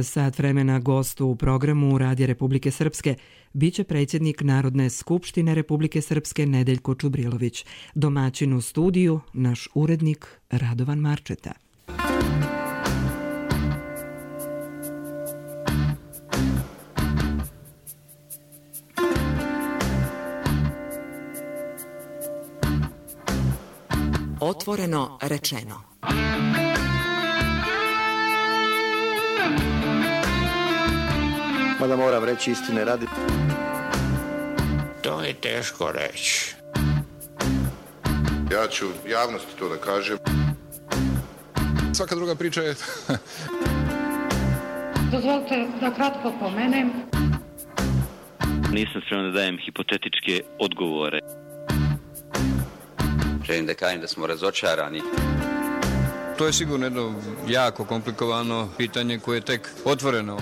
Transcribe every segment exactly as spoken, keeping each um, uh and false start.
Sat vremena gostu u programu Radija Republike Srpske biće predsjednik Narodne skupštine Republike Srpske Nedeljko Čubrilović. Domaćin u studiju naš urednik Radovan Marčeta. Otvoreno rečeno. Mada moram reći istine radi. To je teško reći. Ja ću javnosti to da kažem. Svaka druga priča je... Dozvolite da kratko pomenem. Nisam spreman da dajem hipotetičke odgovore. Želim da kažem da smo razočarani. To je sigurno jedno jako komplikovano pitanje koje je tek otvoreno.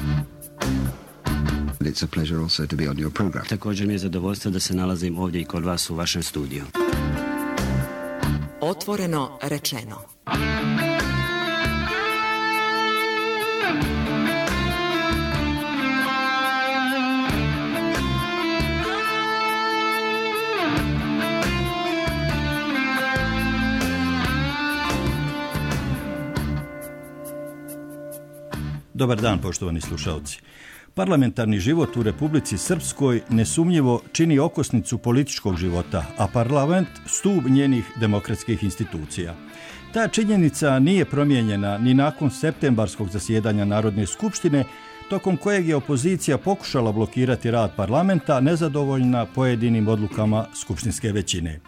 It's a pleasure also to be on your program. Također mi je zadovoljstvo da se nalazim ovdje i kod vas u vašem studiju. Otvoreno rečeno. Dobar dan, poštovani slušalci. Parlamentarni život u Republici Srpskoj nesumnjivo čini okosnicu političkog života, a parlament stup njenih demokratskih institucija. Ta činjenica nije promijenjena ni nakon septembarskog zasjedanja Narodne skupštine, tokom kojeg je opozicija pokušala blokirati rad parlamenta nezadovoljna pojedinim odlukama skupštinske većine.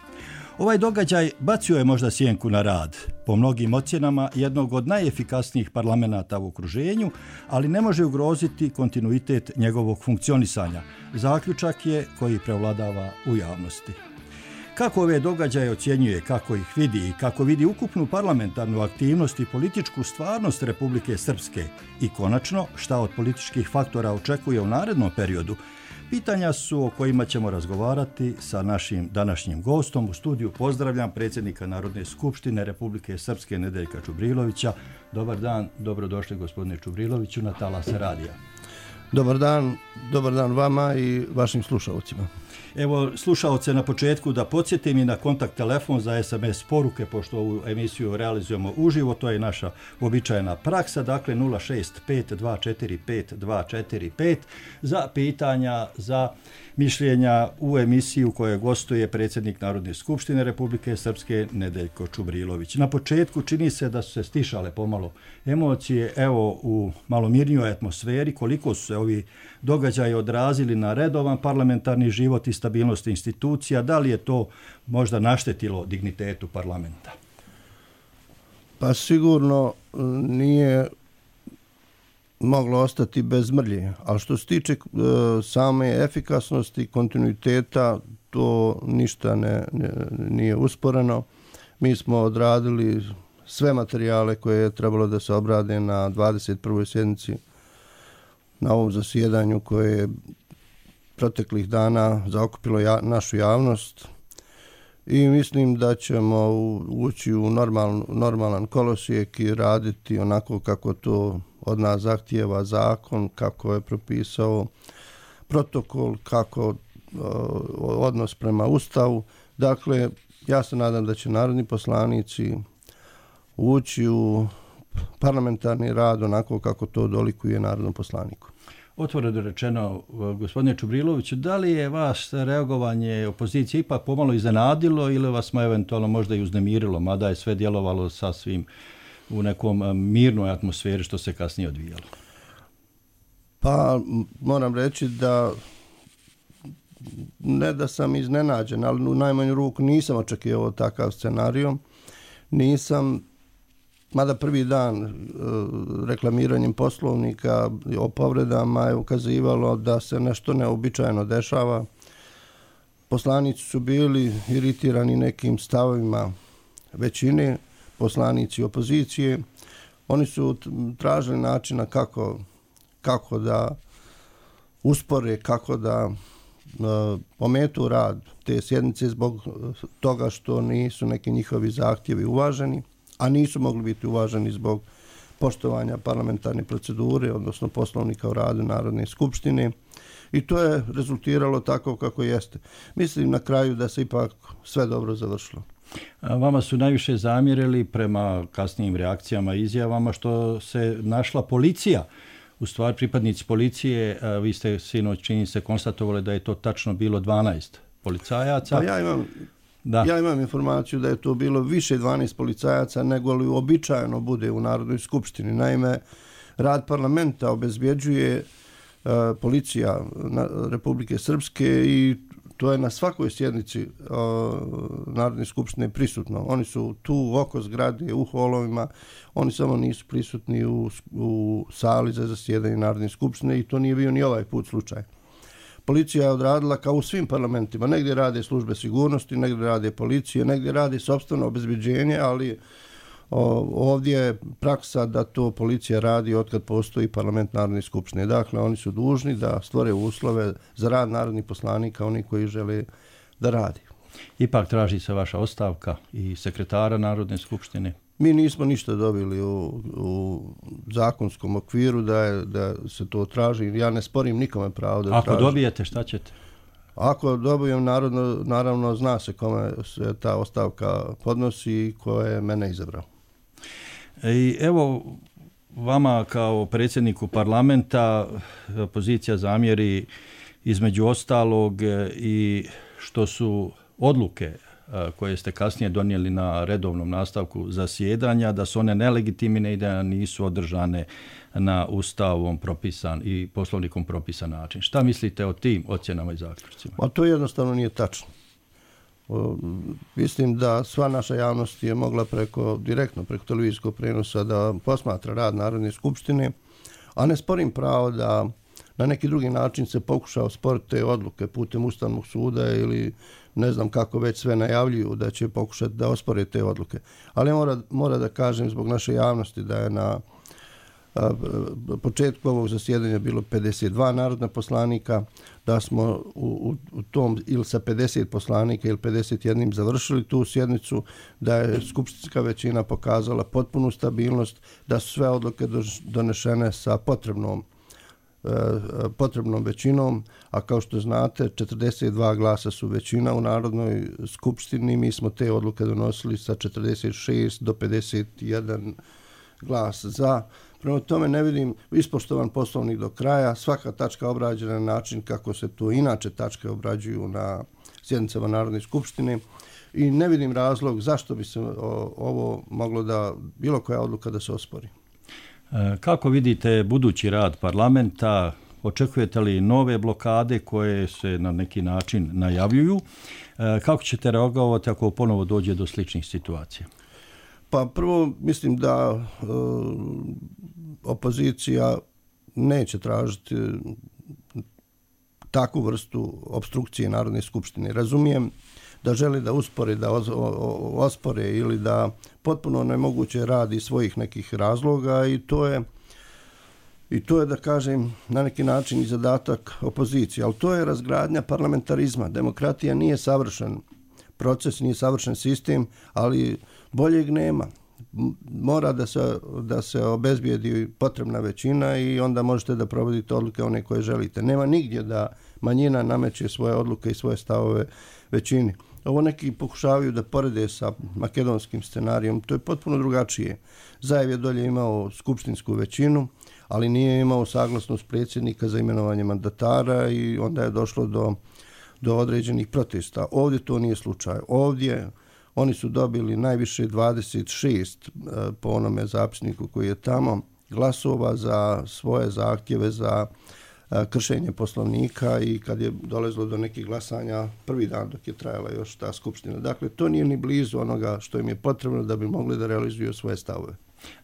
Ovaj događaj bacio je možda sjenku na rad, po mnogim ocjenama jednog od najefikasnijih parlamenata u okruženju, ali ne može ugroziti kontinuitet njegovog funkcionisanja. Zaključak je koji prevladava u javnosti. Kako ove događaje ocjenjuje, kako ih vidi i kako vidi ukupnu parlamentarnu aktivnost i političku stvarnost Republike Srpske i konačno šta od političkih faktora očekuje u narednom periodu, pitanja su o kojima ćemo razgovarati sa našim današnjim gostom. U studiju pozdravljam predsjednika Narodne skupštine Republike Srpske Nedeljka Čubrilovića. Dobar dan, dobrodošli gospodine Čubriloviću na talase radija. Dobar dan, dobar dan vama i vašim slušalcima. Evo, slušalce na početku da podsjetim i na kontakt telefon za es em es poruke, pošto ovu emisiju realizujemo uživo, to je naša uobičajena praksa, dakle nula šest pet dva četiri pet dva četiri pet za pitanja, za mišljenja u emisiju koje gostuje predsjednik Narodne skupštine Republike Srpske Nedeljko Čubrilović. Na početku čini se da su se stišale pomalo emocije, evo u malo mirnijoj atmosferi, koliko su se ovi događaji odrazili na redovan parlamentarni život i stabilnost institucija, da li je to možda naštetilo dignitetu parlamenta? Pa sigurno nije moglo ostati bez mrlje, ali što se tiče e, same efikasnosti, kontinuiteta, to ništa ne, ne, nije usporeno. Mi smo odradili sve materijale koje je trebalo da se obrade na dvadeset prvoj sjednici na ovom zasjedanju koje je proteklih dana zaokupilo ja, našu javnost i mislim da ćemo ući u normal, normalan kolosijek i raditi onako kako to od nas zahtijeva zakon, kako je propisao protokol, kako uh, odnos prema Ustavu. Dakle, ja se nadam da će narodni poslanici ući u parlamentarni rad onako kako to dolikuje narodnom poslaniku. Otvoreno rečeno, gospodine Čubriloviću, da li je vas reagovanje opozicije ipak pomalo iznenadilo ili vas smo eventualno možda i uznemirilo, mada je sve djelovalo sasvim u nekom mirnoj atmosferi što se kasnije odvijalo? Pa moram reći da ne da sam iznenađen, ali u najmanju ruku nisam očekivao takav scenario. Nisam, mada prvi dan e, reklamiranjem poslovnika o povredama je ukazivalo da se nešto neobičajno dešava. Poslanici su bili iritirani nekim stavovima većine, poslanici opozicije. Oni su tražili načina kako, kako da uspore, kako da uh, ometu rad te sjednice zbog toga što nisu neki njihovi zahtjevi uvaženi, a nisu mogli biti uvaženi zbog poštovanja parlamentarne procedure, odnosno poslovnika o radu Narodne skupštine. I to je rezultiralo tako kako jeste. Mislim na kraju da se ipak sve dobro završilo. A vama su najviše zamjerili prema kasnijim reakcijama i izjavama što se našla policija. U stvari pripadnici policije, vi ste sinoć čini se konstatovali da je to tačno bilo dvanaest policajaca. Pa ja imam, da. ja imam informaciju da je to bilo više dvanaest policajaca nego li uobičajeno bude u Narodnoj skupštini. Naime, rad parlamenta obezbjeđuje uh, policija na, Republike Srpske i to je na svakoj sjednici uh, Narodne skupštine prisutno. Oni su tu oko zgrade, u holovima, oni samo nisu prisutni u, u sali za zasjedanje Narodne skupštine i to nije bio ni ovaj put slučaj. Policija je odradila kao u svim parlamentima. Negdje rade službe sigurnosti, negdje rade policije, negdje rade sopstveno obezbeđenje, ali o, ovdje je praksa da to policija radi otkad postoji parlament Narodne skupštine. Dakle, oni su dužni da stvore uslove za rad narodnih poslanika, oni koji žele da radi. Ipak traži se vaša ostavka i sekretara Narodne skupštine. Mi nismo ništa dobili u, u zakonskom okviru da, je, da se to traži. Ja ne sporim nikome pravo da Ako traži. Ako dobijete, šta ćete? Ako dobijem, narodno, naravno zna se kome se ta ostavka podnosi i ko je mene izabrao. I evo, vama kao predsjedniku parlamenta opozicija zamjeri između ostalog i što su odluke koje ste kasnije donijeli na redovnom nastavku zasjedanja, da su one nelegitimne i da nisu održane na ustavom propisan i poslovnikom propisan način. Šta mislite o tim ocjenama i zaključcima? A to jednostavno nije tačno. O, mislim da sva naša javnost je mogla preko, direktno preko televizijskog prenosa da posmatra rad Narodne skupštine, a ne sporim pravo da na neki drugi način se pokuša osporiti te odluke putem Ustavnog suda ili ne znam kako već sve najavljuju da će pokušati da ospore te odluke. Ali mora, mora da kažem zbog naše javnosti da je na a, početku ovog zasjedanja bilo pedeset dva narodna poslanika, da smo u, u, u tom ili sa pedeset poslanika ili pedeset jedan završili tu sjednicu, da je skupštinska većina pokazala potpunu stabilnost, da su sve odluke donešene sa potrebnom potrebnom većinom, a kao što znate četrdeset dva glasa su većina u Narodnoj skupštini, mi smo te odluke donosili sa četrdeset šest do pedeset jedan glas za. Prema tome ne vidim ispoštovan poslovnik do kraja, svaka tačka obrađena na način kako se to inače tačke obrađuju na sjednicama Narodne skupštine i ne vidim razlog zašto bi se ovo moglo da bilo koja odluka da se ospori. Kako vidite budući rad parlamenta? Očekujete li nove blokade koje se na neki način najavljuju? Kako ćete reagovati ako ponovo dođe do sličnih situacija? Pa prvo mislim da uh, opozicija neće tražiti takvu vrstu opstrukcije Narodne skupštine. Razumijem da želi da uspore, da ospore ili da potpuno nemoguće radi svojih nekih razloga i to je i to je da kažem na neki način i zadatak opozicije, ali to je razgradnja parlamentarizma. Demokratija nije savršen proces, nije savršen sistem, ali boljeg nema. Mora da se, da se obezbijedi potrebna većina i onda možete da provodite odluke one koje želite. Nema nigdje da manjina nameće svoje odluke i svoje stavove većini. Ovo neki pokušavaju da porede sa makedonskim scenarijom, to je potpuno drugačije. Zajev je dolje imao skupštinsku većinu, ali nije imao saglasnost predsjednika za imenovanje mandatara i onda je došlo do, do određenih protesta. Ovdje to nije slučaj. Ovdje oni su dobili najviše dvadeset šest po onome zapisniku koji je tamo glasova za svoje zahtjeve za kršenje poslovnika i kad je dolazilo do nekih glasanja prvi dan dok je trajala još ta skupština. Dakle, to nije ni blizu onoga što im je potrebno da bi mogli da realizuju svoje stavove.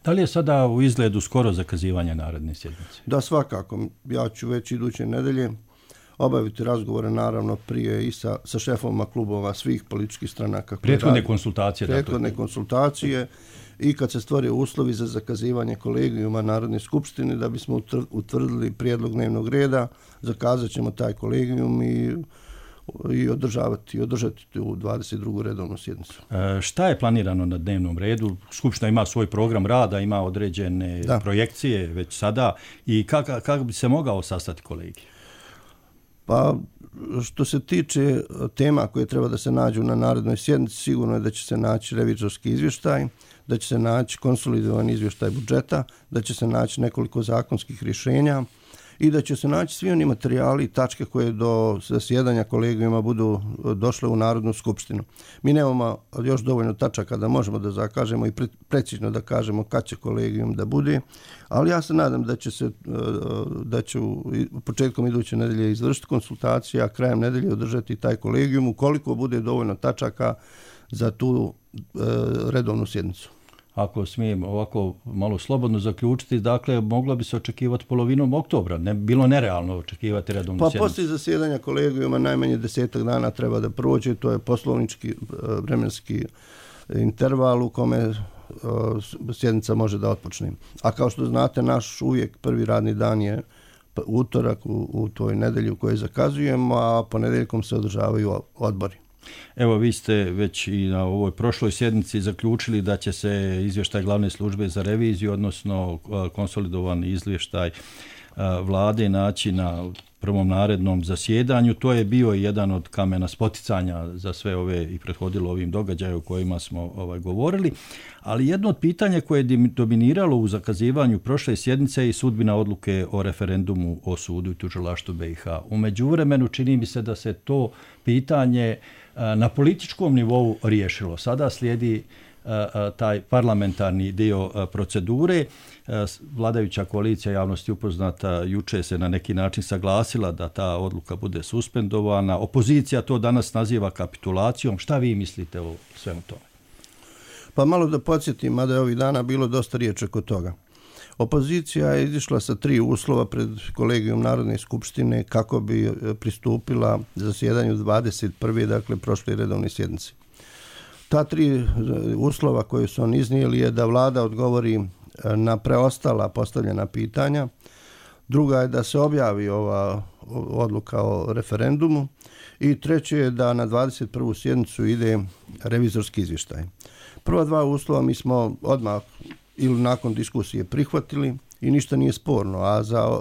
Da li je sada u izgledu skoro zakazivanje naredne sjednice? Da, svakako. Ja ću već iduće nedelje obaviti razgovore naravno prije i sa, sa šefovima klubova svih političkih stranaka. Prethodne konsultacije. Prethodne dakle. konsultacije i kad se stvore uslovi za zakazivanje kolegijuma Narodne skupštine da bismo utvrdili prijedlog dnevnog reda, zakazat ćemo taj kolegijum i i održavati i održati u dvadeset drugu redovnu sjednicu. E, šta je planirano na dnevnom redu? Skupština ima svoj program rada, ima određene da. projekcije već sada i kako, kako bi se mogao sastati kolegij? Pa što se tiče tema koje treba da se nađu na narednoj sjednici, sigurno je da će se naći revizorski izvještaj, da će se naći konsolidovan izvještaj budžeta, da će se naći nekoliko zakonskih rješenja i da će se naći svi oni materijali i tačke koje do zasjedanja kolegijuma budu došle u Narodnu skupštinu. Mi nemamo još dovoljno tačaka da možemo da zakažemo i precizno da kažemo kad će kolegijum da bude, ali ja se nadam da će se da će početkom iduće nedelje izvršiti konsultacije, a krajem nedelje održati taj kolegijum ukoliko bude dovoljno tačaka za tu redovnu sjednicu. Ako smijem ovako malo slobodno zaključiti, dakle, moglo bi se očekivati polovinom oktobra. Ne bilo nerealno očekivati redovnu pa, sjednicu. Pa poslije zasjedanja kolegijuma najmanje desetak dana treba da prođe. To je poslovnički vremenski interval u kome sjednica može da otpočne. A kao što znate, naš uvijek prvi radni dan je utorak u, u toj nedelji u kojoj zakazujemo, a ponedjeljkom se održavaju odbori. Evo, vi ste već i na ovoj prošloj sjednici zaključili da će se izvještaj glavne službe za reviziju, odnosno konsolidovan izvještaj vlade naći na prvom narednom zasjedanju. To je bio jedan od kamena spoticanja za sve ove i prethodilo ovim događaju o kojima smo ovaj, govorili. Ali jedno od pitanja koje je dominiralo u zakazivanju prošle sjednice je i sudbina odluke o referendumu o sudu i tužilaštvu B i H. U međuvremenu čini mi se da se to pitanje na političkom nivou riješilo. Sada slijedi taj parlamentarni dio procedure. Vladajuća koalicija javnosti upoznata juče se na neki način saglasila da ta odluka bude suspendovana. Opozicija to danas naziva kapitulacijom. Šta vi mislite o svemu tome? Pa malo da podsjetim, mada je ovih dana bilo dosta riječi oko toga. Opozicija je izišla sa tri uslova pred kolegijom Narodne skupštine kako bi pristupila zasjedanju dvadeset prve dakle prošle redovne sjednice. Ta tri uslova koje su on iznijeli je da vlada odgovori na preostala postavljena pitanja. Druga je da se objavi ova odluka o referendumu i treće je da na dvadeset prvu sjednicu ide revizorski izvještaj. Prva dva uslova mi smo odmah ili nakon diskusije prihvatili i ništa nije sporno, a za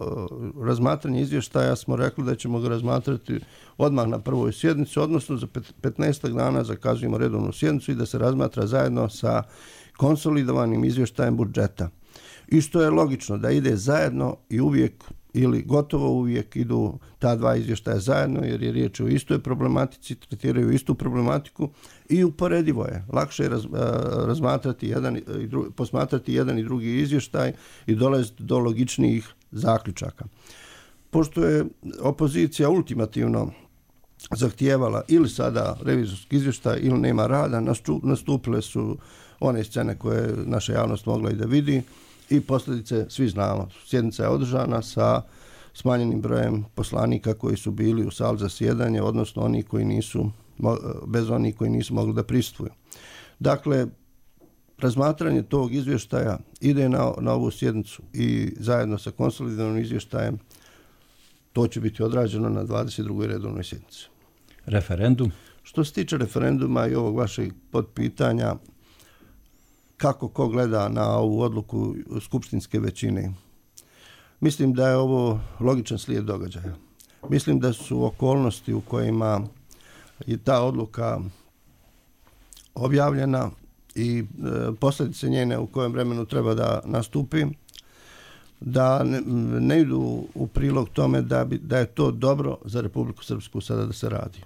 razmatranje izvještaja smo rekli da ćemo ga razmatrati odmah na prvoj sjednici, odnosno za petnaestak dana zakazujemo redovnu sjednicu i da se razmatra zajedno sa konsolidovanim izvještajem budžeta. I što je logično da ide zajedno i uvijek ili gotovo uvijek idu ta dva izvještaja zajedno jer je riječ o istoj problematici, tretiraju istu problematiku i uporedivo je. Lakše je raz, razmatrati jedan i drugi, posmatrati jedan i drugi izvještaj i dolaziti do logičnijih zaključaka. Pošto je opozicija ultimativno zahtijevala ili sada revizorski izvještaj ili nema rada, nastupile su one scene koje je naša javnost mogla i da vidi i posljedice svi znamo. Sjednica je održana sa smanjenim brojem poslanika koji su bili u sali zasjedanja, odnosno oni koji nisu, bez onih koji nisu mogli da prisustvuju. Dakle, razmatranje tog izvještaja ide na, na ovu sjednicu i zajedno sa konsolidovanim izvještajem to će biti odrađeno na dvadeset drugoj redovnoj sjednici. Referendum? Što se tiče referenduma i ovog vašeg podpitanja, kako ko gleda na ovu odluku skupštinske većine, mislim da je ovo logičan slijed događaja. Mislim da su okolnosti u kojima je ta odluka objavljena i e, posljedice njene u kojem vremenu treba da nastupi, da ne, ne idu u prilog tome da, bi, da je to dobro za Republiku Srpsku sada da se radi.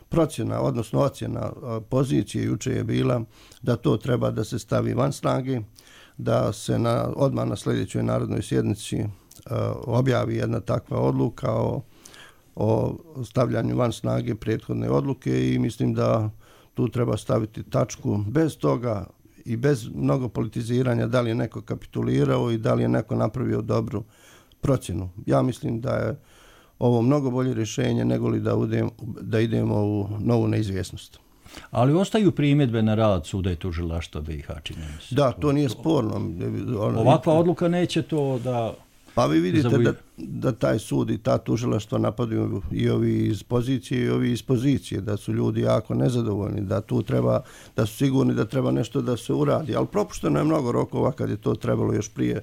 Procjena, odnosno ocjena pozicije juče je bila da to treba da se stavi van snage, da se na, odmah na sljedećoj narodnoj sjednici uh, objavi jedna takva odluka o, o stavljanju van snage prethodne odluke i mislim da tu treba staviti tačku. Bez toga i bez mnogo politiziranja da li je neko kapitulirao i da li je neko napravio dobru procjenu. Ja mislim da je ovo mnogo bolje rješenje nego li da, udem, da idemo u novu neizvjesnost. Ali ostaju primjedbe na rad suda i tužilaštva B i H, čini mi se. Da, to nije sporno. Ovakva odluka neće to da Pa vi vidite da, da taj sud i ta tužilaštva napadaju i ovi iz pozicije i ovi iz pozicije, da su ljudi jako nezadovoljni, da tu treba, da su sigurni da treba nešto da se uradi, ali propušteno je mnogo rokova kad je to trebalo još prije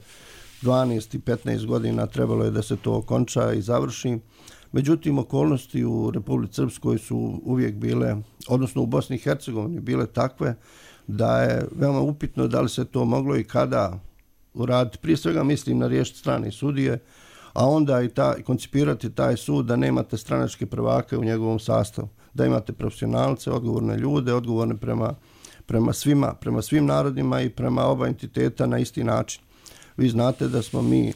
dvanaest i petnaest godina, trebalo je da se to okonča i završi. Međutim, okolnosti u Republici Srpskoj su uvijek bile, odnosno u Bosni i Hercegovini, bile takve da je veoma upitno da li se to moglo i kada uraditi. Prije svega mislim na riješiti strane sudije, a onda i ta, koncipirati taj sud da nemate stranačke prvake u njegovom sastavu, da imate profesionalce, odgovorne ljude, odgovorne prema, prema svima, prema svim narodima i prema oba entiteta na isti način. Vi znate da smo mi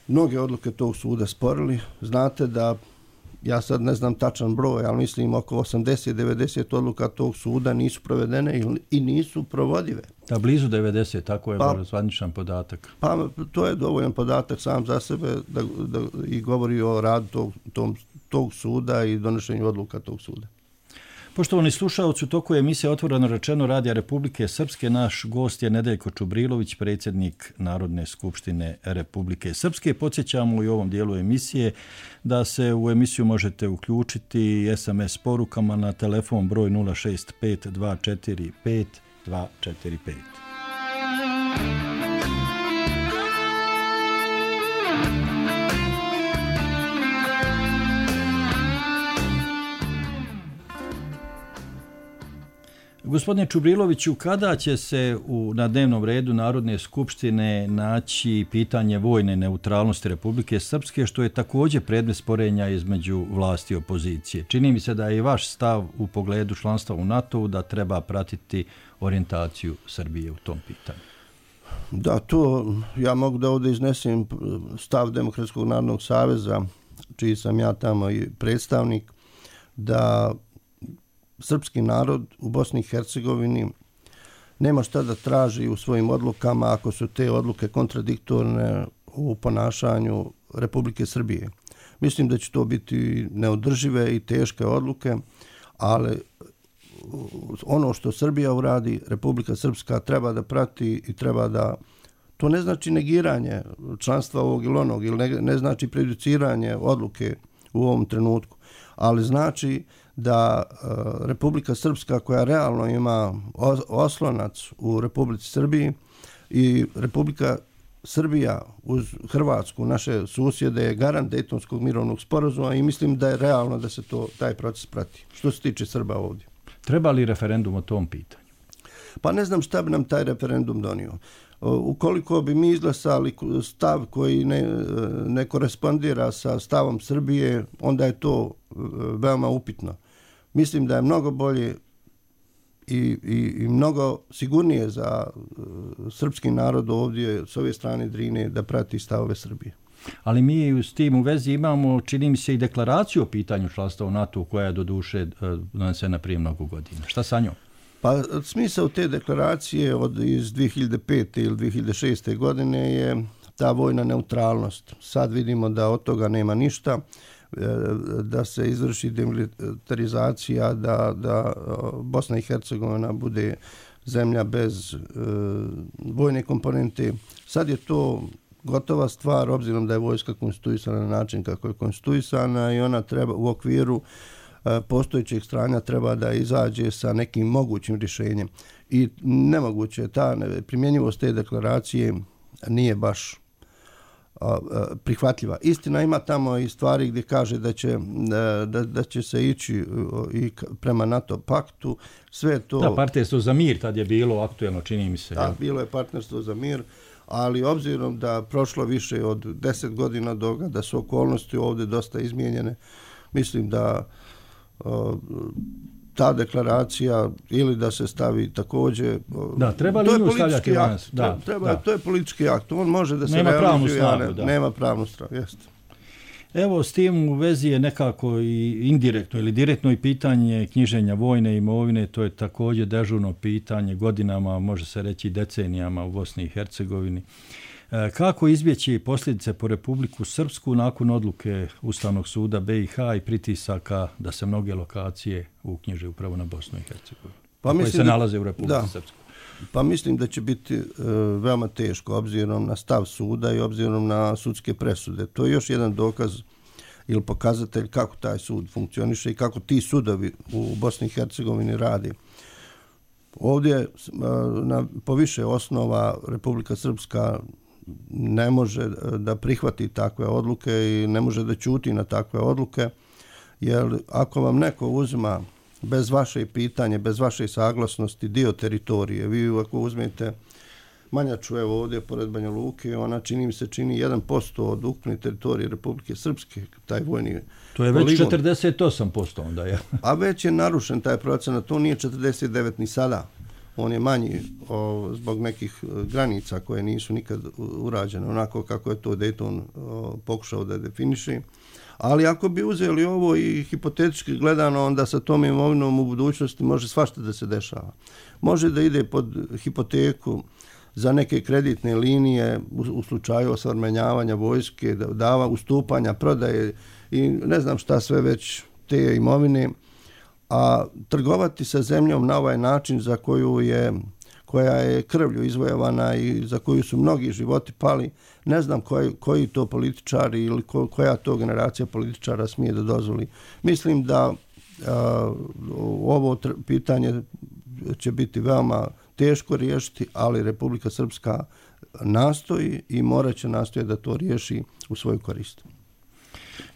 mnoge odluke tog suda sporili, znate da, ja sad ne znam tačan broj, ali mislim oko osamdeset do devedeset odluka tog suda nisu provedene i nisu provodive. Da, blizu devedeset, tako je pa, zvaničan podatak. Pa to je dovoljan podatak sam za sebe da, da, i govori o radu tog, tog, tog suda i donošenju odluka tog suda. Poštovani slušalci, u toku emisije Otvoreno rečeno Radija Republike Srpske naš gost je Nedeljko Čubrilović, predsjednik Narodne skupštine Republike Srpske. Podsjećamo i u ovom dijelu emisije da se u emisiju možete uključiti es em es porukama na telefon broj nula šest pet dva četiri pet dva četiri pet. Gospodine Čubriloviću, kada će se u, na dnevnom redu Narodne skupštine naći pitanje vojne neutralnosti Republike Srpske, što je također predmet sporenja između vlasti i opozicije? Čini mi se da je i vaš stav u pogledu članstva u NATO-u da treba pratiti orijentaciju Srbije u tom pitanju. Da, to ja mogu da ovdje iznesem stav Demokratskog narodnog saveza, čiji sam ja tamo i predstavnik, da srpski narod u Bosni i Hercegovini nema šta da traži u svojim odlukama ako su te odluke kontradiktorne u ponašanju Republike Srbije. Mislim da će to biti neodržive i teške odluke, ali ono što Srbija uradi, Republika Srpska treba da prati i treba da... To ne znači negiranje članstva ovog ili onog, ili ne, ne znači prejudiciranje odluke u ovom trenutku, ali znači da uh, Republika Srpska, koja realno ima oslonac u Republici Srbiji, i Republika Srbija uz Hrvatsku, naše susjede, je garant Dejtonskog mirovnog sporazuma i mislim da je realno da se to, taj proces prati. Što se tiče Srba ovdje. Treba li referendum o tom pitanju? Pa ne znam šta bi nam taj referendum donio. Ukoliko bi mi izglasali stav koji ne, ne korespondira sa stavom Srbije, onda je to veoma upitno. Mislim da je mnogo bolje i, i, i mnogo sigurnije za srpski narod ovdje s ove strane Drine da prati stavove Srbije. Ali mi s tim u vezi imamo, čini mi se, i deklaraciju o pitanju članstva u NATO koja je do duše donesena prije mnogo godina. Šta sa njom? Pa smisao te deklaracije od iz dvije hiljade pete ili dvije hiljade šeste godine je ta vojna neutralnost. Sad vidimo da od toga nema ništa, da se izvrši demilitarizacija, da, da Bosna i Hercegovina bude zemlja bez uh, vojne komponente. Sad je to gotova stvar, obzirom da je vojska konstituisana na način kako je konstituisana i ona treba u okviru postojećeg stranja treba da izađe sa nekim mogućim rješenjem. I nemoguće, ta primjenjivost te deklaracije nije baš prihvatljiva. Istina, ima tamo i stvari gdje kaže da će, da, da će se ići i prema NATO paktu. Sve to... Da, partnerstvo za mir tad je bilo aktuelno, čini mi se. Da, bilo je partnerstvo za mir, ali obzirom da prošlo više od deset godina doga, da su okolnosti ovdje dosta izmijenjene, mislim da ta deklaracija ili da se stavi također... Da, treba li nju stavljati danas? Da, treba, da. To je politički akt. On može da se nema realizuje, pravnu snagu, da. Nema pravnu snagu, jeste. Evo, s tim u vezi je nekako i indirektno ili direktno i pitanje knjiženja vojne imovine. To je također dežurno pitanje godinama, može se reći decenijama u Bosni i Hercegovini. Kako izbjeći posljedice po Republiku Srpsku nakon odluke Ustavnog suda B i H i pritisaka da se mnoge lokacije uknjiže upravo na Bosnu i Hercegovinu, pa koje se nalaze u Republiku Srpsku? Pa mislim da će biti e, veoma teško obzirom na stav suda i obzirom na sudske presude. To je još jedan dokaz ili pokazatelj kako taj sud funkcioniše i kako ti sudovi u Bosni i Hercegovini radi. Ovdje na, po više osnova Republika Srpska ne može da prihvati takve odluke i ne može da ćuti na takve odluke, jer ako vam neko uzima bez vaše pitanje, bez vaše saglasnosti dio teritorije, vi ako uzmete Manjaču, evo ovdje pored Banja Luke, ona čini mi se čini jedan posto od ukupne teritorije Republike Srpske, taj vojni to je već poligon. četrdeset osam posto onda je. A već je narušen taj procenat, to nije četrdeset devet ni sada. On je manji o, zbog nekih granica koje nisu nikad urađene, onako kako je to Dayton o, pokušao da definiši. Ali ako bi uzeli ovo i hipotetički gledano, onda sa tom imovinom u budućnosti može svašta da se dešava. Može da ide pod hipoteku za neke kreditne linije u, u slučaju osvrmenjavanja vojske, dava ustupanja, prodaje i ne znam šta sve već te imovine, a trgovati sa zemljom na ovaj način za koju je, koja je krvlju izvojevana i za koju su mnogi životi pali, ne znam koji, koji to političari ili ko, koja to generacija političara smije da dozvoli. Mislim da a, ovo tr- pitanje će biti veoma teško riješiti, ali Republika Srpska nastoji i morat će nastojati da to riješi u svoju korist.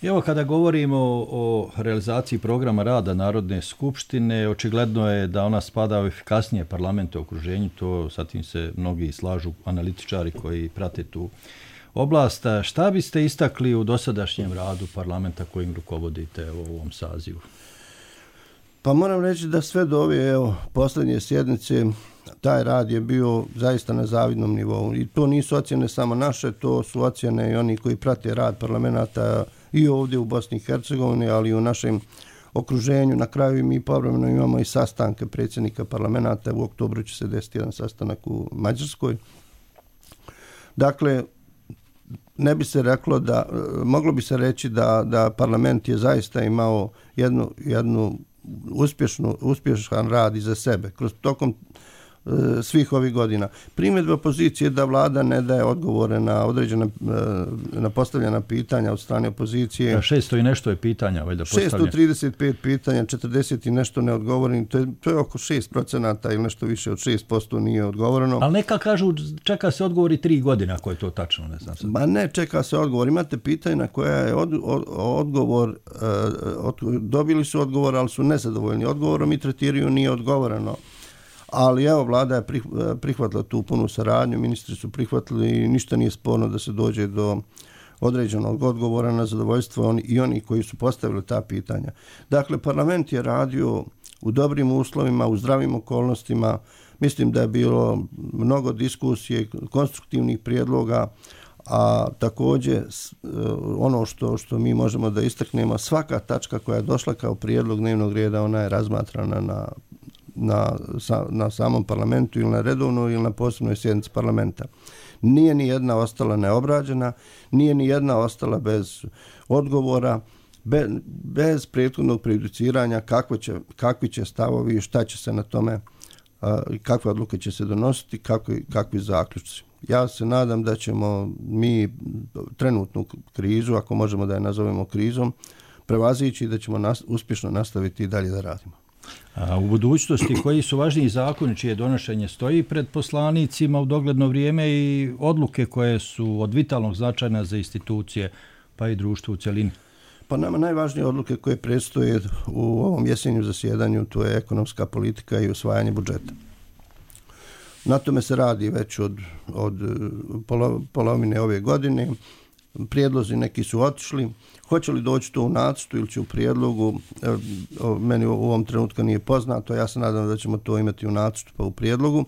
Evo kada govorimo o, o realizaciji programa rada Narodne skupštine, očigledno je da ona spada u efikasnije parlamente u okruženju, to sa tim se mnogi slažu analitičari koji prate tu oblast. Šta biste istakli u dosadašnjem radu parlamenta kojim rukovodite u ovom sazivu? Pa moram reći da sve do ove evo, posljednje sjednice taj rad je bio zaista na zavidnom nivou. I to nisu ocjene samo naše, to su ocjene i oni koji prate rad parlamenta i ovdje u Bosni i Hercegovini, ali i u našem okruženju. Na kraju mi povremeno imamo i sastanke predsjednika parlamenta. U oktobru će se desiti jedan sastanak u Mađarskoj. Dakle, ne bi se reklo da, moglo bi se reći da, da parlament je zaista imao jednu, jednu uspješnu, uspješan rad iza sebe kroz tokom e, svih ovih godina. Primjedba opozicije da vlada ne daje odgovore na određene e, na postavljena pitanja od strane opozicije. Da, šesto i nešto je pitanja valjda postavljeno. šesto trideset pet pitanja, četrdeset i nešto neodgovoreno. To je, to je oko šest procenata ili nešto više od šest posto nije odgovoreno. Ali neka kažu čeka se odgovori tri godine ako je to tačno, ne znam. Ma ne, čeka se odgovor. Imate pitanja na koja je od, od, odgovor, od, dobili su odgovor, ali su nezadovoljni odgovorom i tretiraju nije odgovoreno. Ali evo, vlada je prihvatila tu punu saradnju, ministri su prihvatili i ništa nije sporno da se dođe do određenog odgovora na zadovoljstvo oni, i oni koji su postavili ta pitanja. Dakle, parlament je radio u dobrim uslovima, u zdravim okolnostima. Mislim da je bilo mnogo diskusije, konstruktivnih prijedloga, a također ono što, što mi možemo da istaknemo, svaka tačka koja je došla kao prijedlog dnevnog reda, ona je razmatrana na, na, na samom parlamentu ili na redovnoj ili na posebnoj sjednici parlamenta. Nije ni jedna ostala neobrađena, nije ni jedna ostala bez odgovora, be, bez prethodnog prejudiciranja kako će, kakvi će stavovi, šta će se na tome, kakve odluke će se donositi, kakvi, kakvi zaključci. Ja se nadam da ćemo mi trenutnu krizu, ako možemo da je nazovemo krizom, prevazići i da ćemo nas, uspješno nastaviti i dalje da radimo. A u budućnosti koji su važniji zakoni čije donošenje stoji pred poslanicima u dogledno vrijeme i odluke koje su od vitalnog značaja za institucije pa i društvo u cjelini? Pa nama najvažnije odluke koje predstoje u ovom jesenju zasjedanju, to je ekonomska politika i usvajanje budžeta. Na tome se radi već od, od polo, polovine ove godine. Prijedlozi neki su otišli. Hoće li doći to u nacrtu ili će u prijedlogu, meni u ovom trenutku nije poznato, ja se nadam da ćemo to imati u nacrtu pa u prijedlogu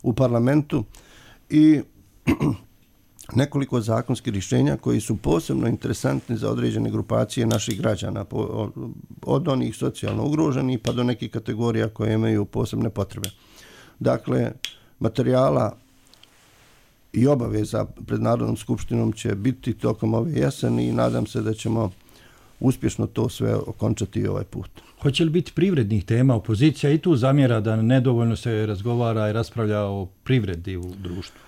u parlamentu i nekoliko zakonskih rješenja koji su posebno interesantni za određene grupacije naših građana, od onih socijalno ugroženih pa do nekih kategorija koje imaju posebne potrebe. Dakle, materijala i obaveza pred Narodnom skupštinom će biti tokom ove jeseni i nadam se da ćemo uspješno to sve okončati ovaj put. Hoće li biti privrednih tema? Opozicija i tu zamjera da nedovoljno se razgovara i raspravlja o privredi u društvu.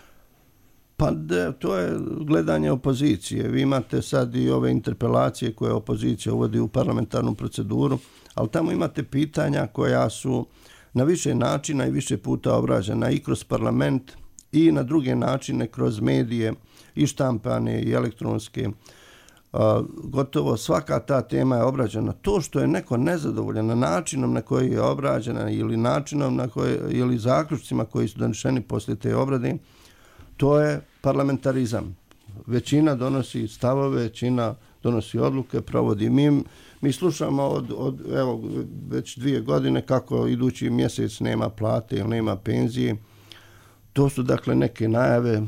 Pa de, to je gledanje opozicije. Vi imate sad i ove interpelacije koje opozicija uvodi u parlamentarnu proceduru, ali tamo imate pitanja koja su na više načina i više puta obrađena i kroz parlament i na druge načine kroz medije i štampane i elektronske. Uh, gotovo svaka ta tema je obrađena. To što je neko nezadovoljan načinom na koji je obrađena ili načinom na koji, ili zaključcima koji su doneseni poslije te obrade, to je parlamentarizam. Većina donosi stavove, većina donosi odluke, provodi. Mi, mi slušamo od, od evo, već dvije godine kako idući mjesec nema plate ili nema penzije. To su dakle neke najave.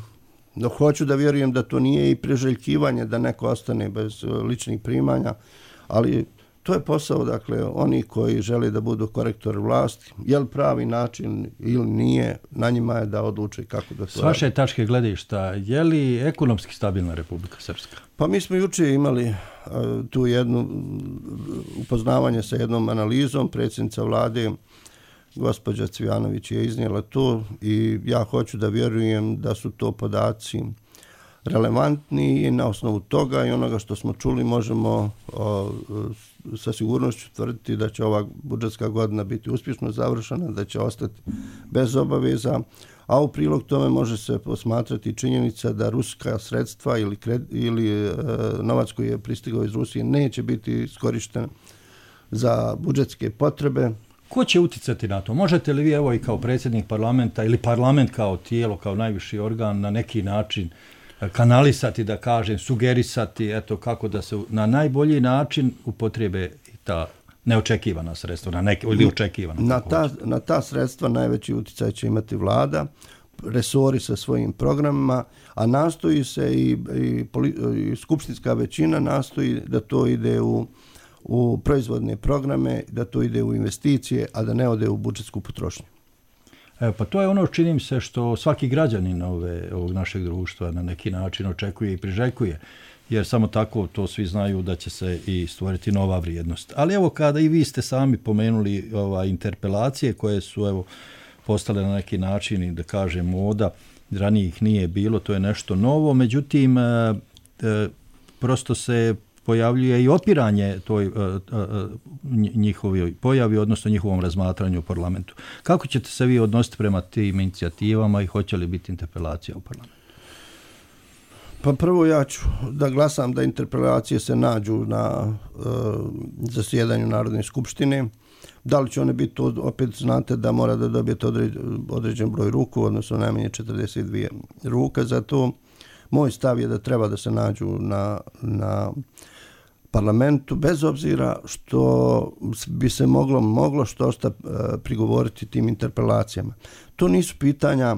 No, hoću da vjerujem da to nije i priželjkivanje da neko ostane bez ličnih primanja, ali to je posao, dakle, oni koji žele da budu korektori vlasti. Je li pravi način ili nije, na njima je da odluče kako da to... S vaše tačke gledišta, je li ekonomski stabilna Republika Srpska? Pa mi smo juče imali uh, tu jednu upoznavanje sa jednom analizom. Predsjednica vlade, gospođa Cvijanović, je iznijela to i ja hoću da vjerujem da su to podaci relevantni i na osnovu toga i onoga što smo čuli možemo o, sa sigurnošću tvrditi da će ova budžetska godina biti uspješno završena, da će ostati bez obaveza, a u prilog tome može se posmatrati činjenica da ruska sredstva ili, kred, ili e, novac koji je pristigao iz Rusije neće biti iskorišten za budžetske potrebe. Ko će uticati na to? Možete li vi, evo i kao predsjednik parlamenta ili parlament kao tijelo, kao najviši organ, na neki način kanalisati, da kažem, sugerisati, eto, kako da se na najbolji način upotrijebe ta neočekivana sredstva, na neke, ili očekivana? Na ta, na ta sredstva najveći utjecaj će imati vlada, resori sa svojim programima, a nastoji se i, i, i skupštinska većina nastoji da to ide u u proizvodne programe, da to ide u investicije, a da ne ode u budžetsku potrošnju. Evo, pa to je ono, čini mi se, što svaki građanin ove, ovog našeg društva na neki način očekuje i priželjkuje, jer samo tako to svi znaju da će se i stvoriti nova vrijednost. Ali evo, kada i vi ste sami pomenuli ova, interpelacije koje su evo postale na neki način i da kažem moda, ranije ih nije bilo, to je nešto novo, međutim, e, e, prosto se pojavljuje i opiranje toj uh, uh, njihovoj pojavi, odnosno njihovom razmatranju u parlamentu. Kako ćete se vi odnositi prema tim inicijativama i hoće li biti interpelacija u parlamentu? Pa prvo ja ću da glasam da interpelacije se nađu na uh, zasjedanju Narodne skupštine. Da li će one biti, to opet znate da mora da dobijete određen, određen broj ruku, odnosno najmanje četrdeset dvije ruke. Zato moj stav je da treba da se nađu na, na parlamentu, bez obzira što bi se moglo, moglo što šta prigovoriti tim interpelacijama. To nisu pitanja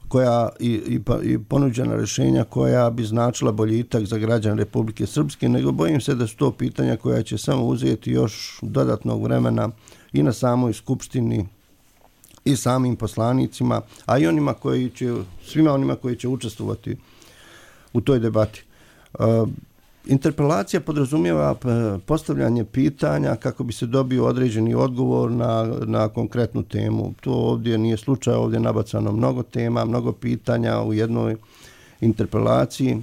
koja i, i, i ponuđena rješenja koja bi značila boljitak za građane Republike Srpske, nego bojim se da su to pitanja koja će samo uzeti još dodatnog vremena i na samoj skupštini i samim poslanicima, a i onima koji će, svima onima koji će učestvovati u toj debati. Uh, interpelacija podrazumijeva postavljanje pitanja kako bi se dobio određeni odgovor na, na konkretnu temu. To ovdje nije slučaj, ovdje je nabacano mnogo tema, mnogo pitanja u jednoj interpelaciji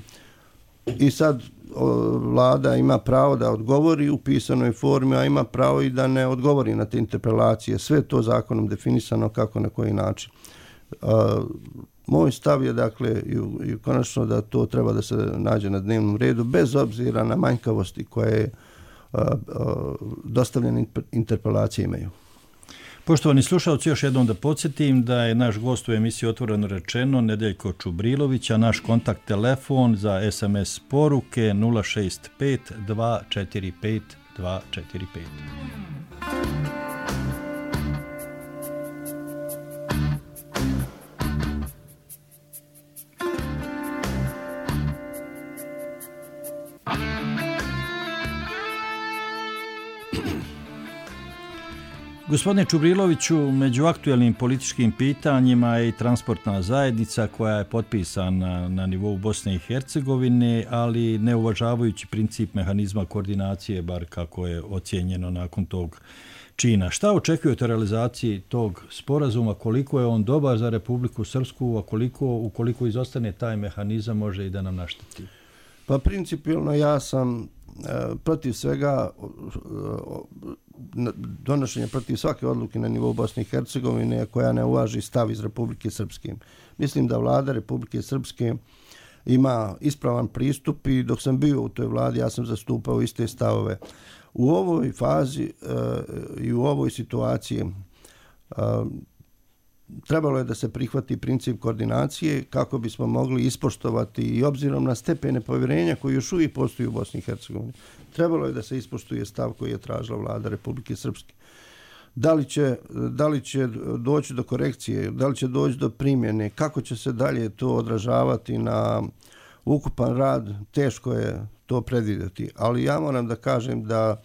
i sad o, vlada ima pravo da odgovori u pisanoj formi, a ima pravo i da ne odgovori na te interpelacije. Sve to zakonom definisano kako na koji način. Uh, Moj stav je, dakle, i, i konačno da to treba da se nađe na dnevnom redu, bez obzira na manjkavosti koje uh, uh, dostavljene interpelacije imaju. Poštovani slušalci, još jednom da podsjetim da je naš gost u emisiji Otvoreno rečeno Nedeljko Čubrilović, a naš kontakt telefon za es em es poruke nula šest pet dva četiri pet dva četiri pet. Gospodine Čubriloviću, među aktuelnim političkim pitanjima je i transportna zajednica koja je potpisana na nivou Bosne i Hercegovine, ali ne uvažavajući princip mehanizma koordinacije, bar kako je ocijenjeno nakon tog čina. Šta očekujete o realizaciji tog sporazuma, koliko je on dobar za Republiku Srpsku, a koliko, ukoliko izostane taj mehanizam, može i da nam našteti? Pa principijelno ja sam e, protiv svega donošenja protiv svake odluke na nivou Bosne i Hercegovine koja ne uvaži stav iz Republike Srpske. Mislim da vlada Republike Srpske ima ispravan pristup i dok sam bio u toj vladi ja sam zastupao iste stavove. U ovoj fazi e, i u ovoj situaciji e, trebalo je da se prihvati princip koordinacije kako bismo mogli ispoštovati i obzirom na stepene povjerenja koji još uvijek postoji u Bosni i Hercegovini. Trebalo je da se ispoštuje stav koji je tražila vlada Republike Srpske. Da li će, da li će doći do korekcije, da li će doći do primjene, kako će se dalje to odražavati na ukupan rad, teško je to predvidjeti. Ali ja moram da kažem da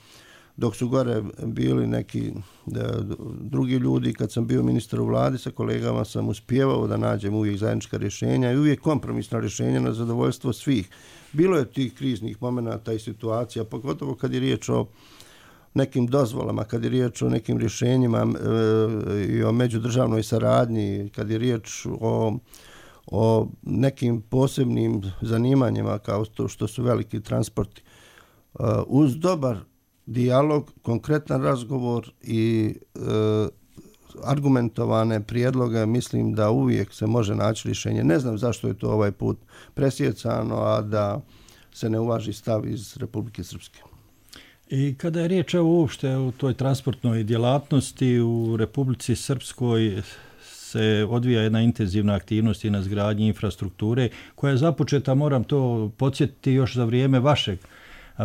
dok su gore bili neki da, drugi ljudi, kad sam bio ministar u vladi sa kolegama sam uspjevao da nađem uvijek zajednička rješenja i uvijek kompromisna rješenja na zadovoljstvo svih. Bilo je tih kriznih momenata i situacija, pogotovo kad je riječ o nekim dozvolama, kad je riječ o nekim rješenjima e, i o međudržavnoj saradnji, kad je riječ o, o nekim posebnim zanimanjima kao to što su veliki transporti. E, uz dobar dijalog, konkretan razgovor i e, argumentovane prijedloge, mislim da uvijek se može naći rješenje. Ne znam zašto je to ovaj put presjecano, a da se ne uvaži stav iz Republike Srpske. I kada je riječ o uopšte u toj transportnoj djelatnosti u Republici Srpskoj se odvija jedna intenzivna aktivnost i na izgradnji infrastrukture koja je započeta, moram to podsjetiti, još za vrijeme vašeg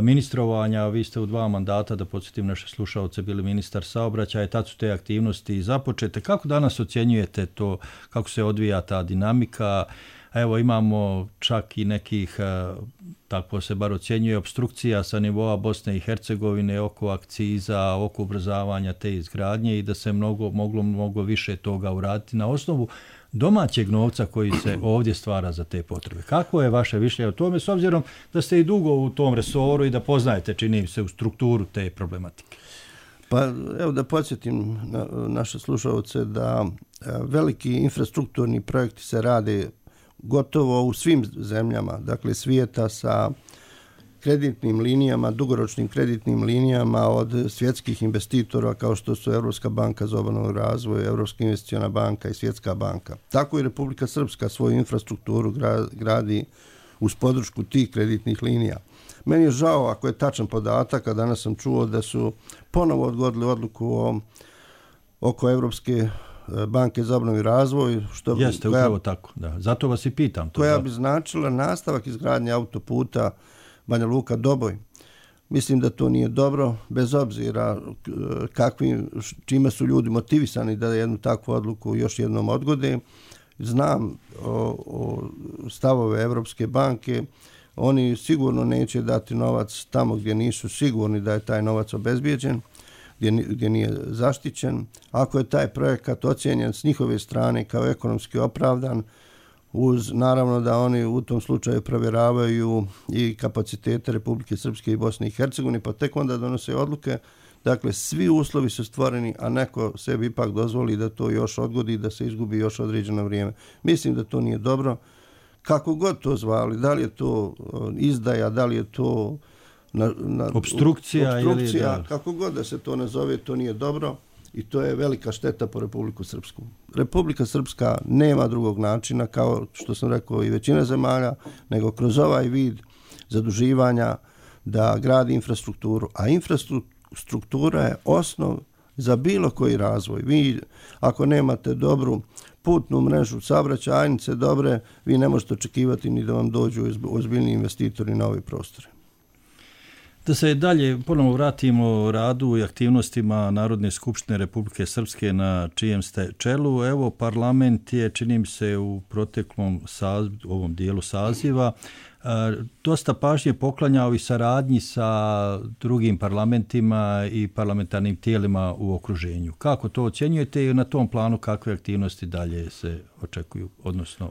ministrovanja. Vi ste u dva mandata, da podsjetim naše slušalce, bili ministar saobraćaja i tad su te aktivnosti započete. Kako danas ocjenjujete to, kako se odvija ta dinamika? Evo imamo čak i nekih, tako se bar ocjenjuje, obstrukcija sa nivoa Bosne i Hercegovine oko akciza, oko ubrzavanja te izgradnje i da se mnogo, moglo mnogo više toga uraditi na osnovu domaćeg novca koji se ovdje stvara za te potrebe. Kako je vaše mišljenje o tome, s obzirom da ste i dugo u tom resoru i da poznajete, čini se, u strukturu te problematike? Pa evo da podsjetim na, naše slušalce da veliki infrastrukturni projekti se rade gotovo u svim zemljama, dakle svijeta, sa kreditnim linijama, dugoročnim kreditnim linijama od svjetskih investitora kao što su Europska banka za obnovu i razvoj, Europska investiciona banka i Svjetska banka. Tako i Republika Srpska svoju infrastrukturu gradi uz podršku tih kreditnih linija. Meni je žao ako je tačan podatak, a danas sam čuo da su ponovo odgodili odluku o, oko Europske banke za obnovu i razvoj. Što, Jeste, koja, upravo tako. Da. Zato vas i pitam. To koja da. bi značila nastavak izgradnje autoputa Banja Luka Doboj. Mislim da to nije dobro, bez obzira kakvim, čime su ljudi motivisani da jednu takvu odluku još jednom odgode. Znam o, o stavove Europske banke. Oni sigurno neće dati novac tamo gdje nisu sigurni da je taj novac obezbijeđen, gdje, gdje nije zaštićen. Ako je taj projekat ocijenjen s njihove strane kao ekonomski opravdan, uz naravno da oni u tom slučaju provjeravaju i kapacitete Republike Srpske i Bosne i Hercegovine, pa tek onda donose odluke. Dakle, svi uslovi su stvoreni, a neko sebi ipak dozvoli da to još odgodi, da se izgubi još određeno vrijeme. Mislim da to nije dobro. Kako god to zvali, da li je to izdaja, da li je to na, na, obstrukcija, obstrukcija ili da. Kako god da se to nazove, to nije dobro i to je velika šteta po Republiku Srpsku. Republika Srpska nema drugog načina, kao što sam rekao i većina zemalja, nego kroz ovaj vid zaduživanja da gradi infrastrukturu, a infrastruktura je osnov za bilo koji razvoj. Vi ako nemate dobru putnu mrežu, saobraćajnice dobre, vi ne možete očekivati ni da vam dođu ozbiljni investitori na ove prostore. Da se dalje ponovo vratimo radu i aktivnostima Narodne skupštine Republike Srpske na čijem ste čelu. Evo, parlament je, čini mi se, u proteklom saz, ovom dijelu saziva dosta pažnje poklanjao i saradnji sa drugim parlamentima i parlamentarnim tijelima u okruženju. Kako to ocjenjujete i na tom planu kakve aktivnosti dalje se očekuju, odnosno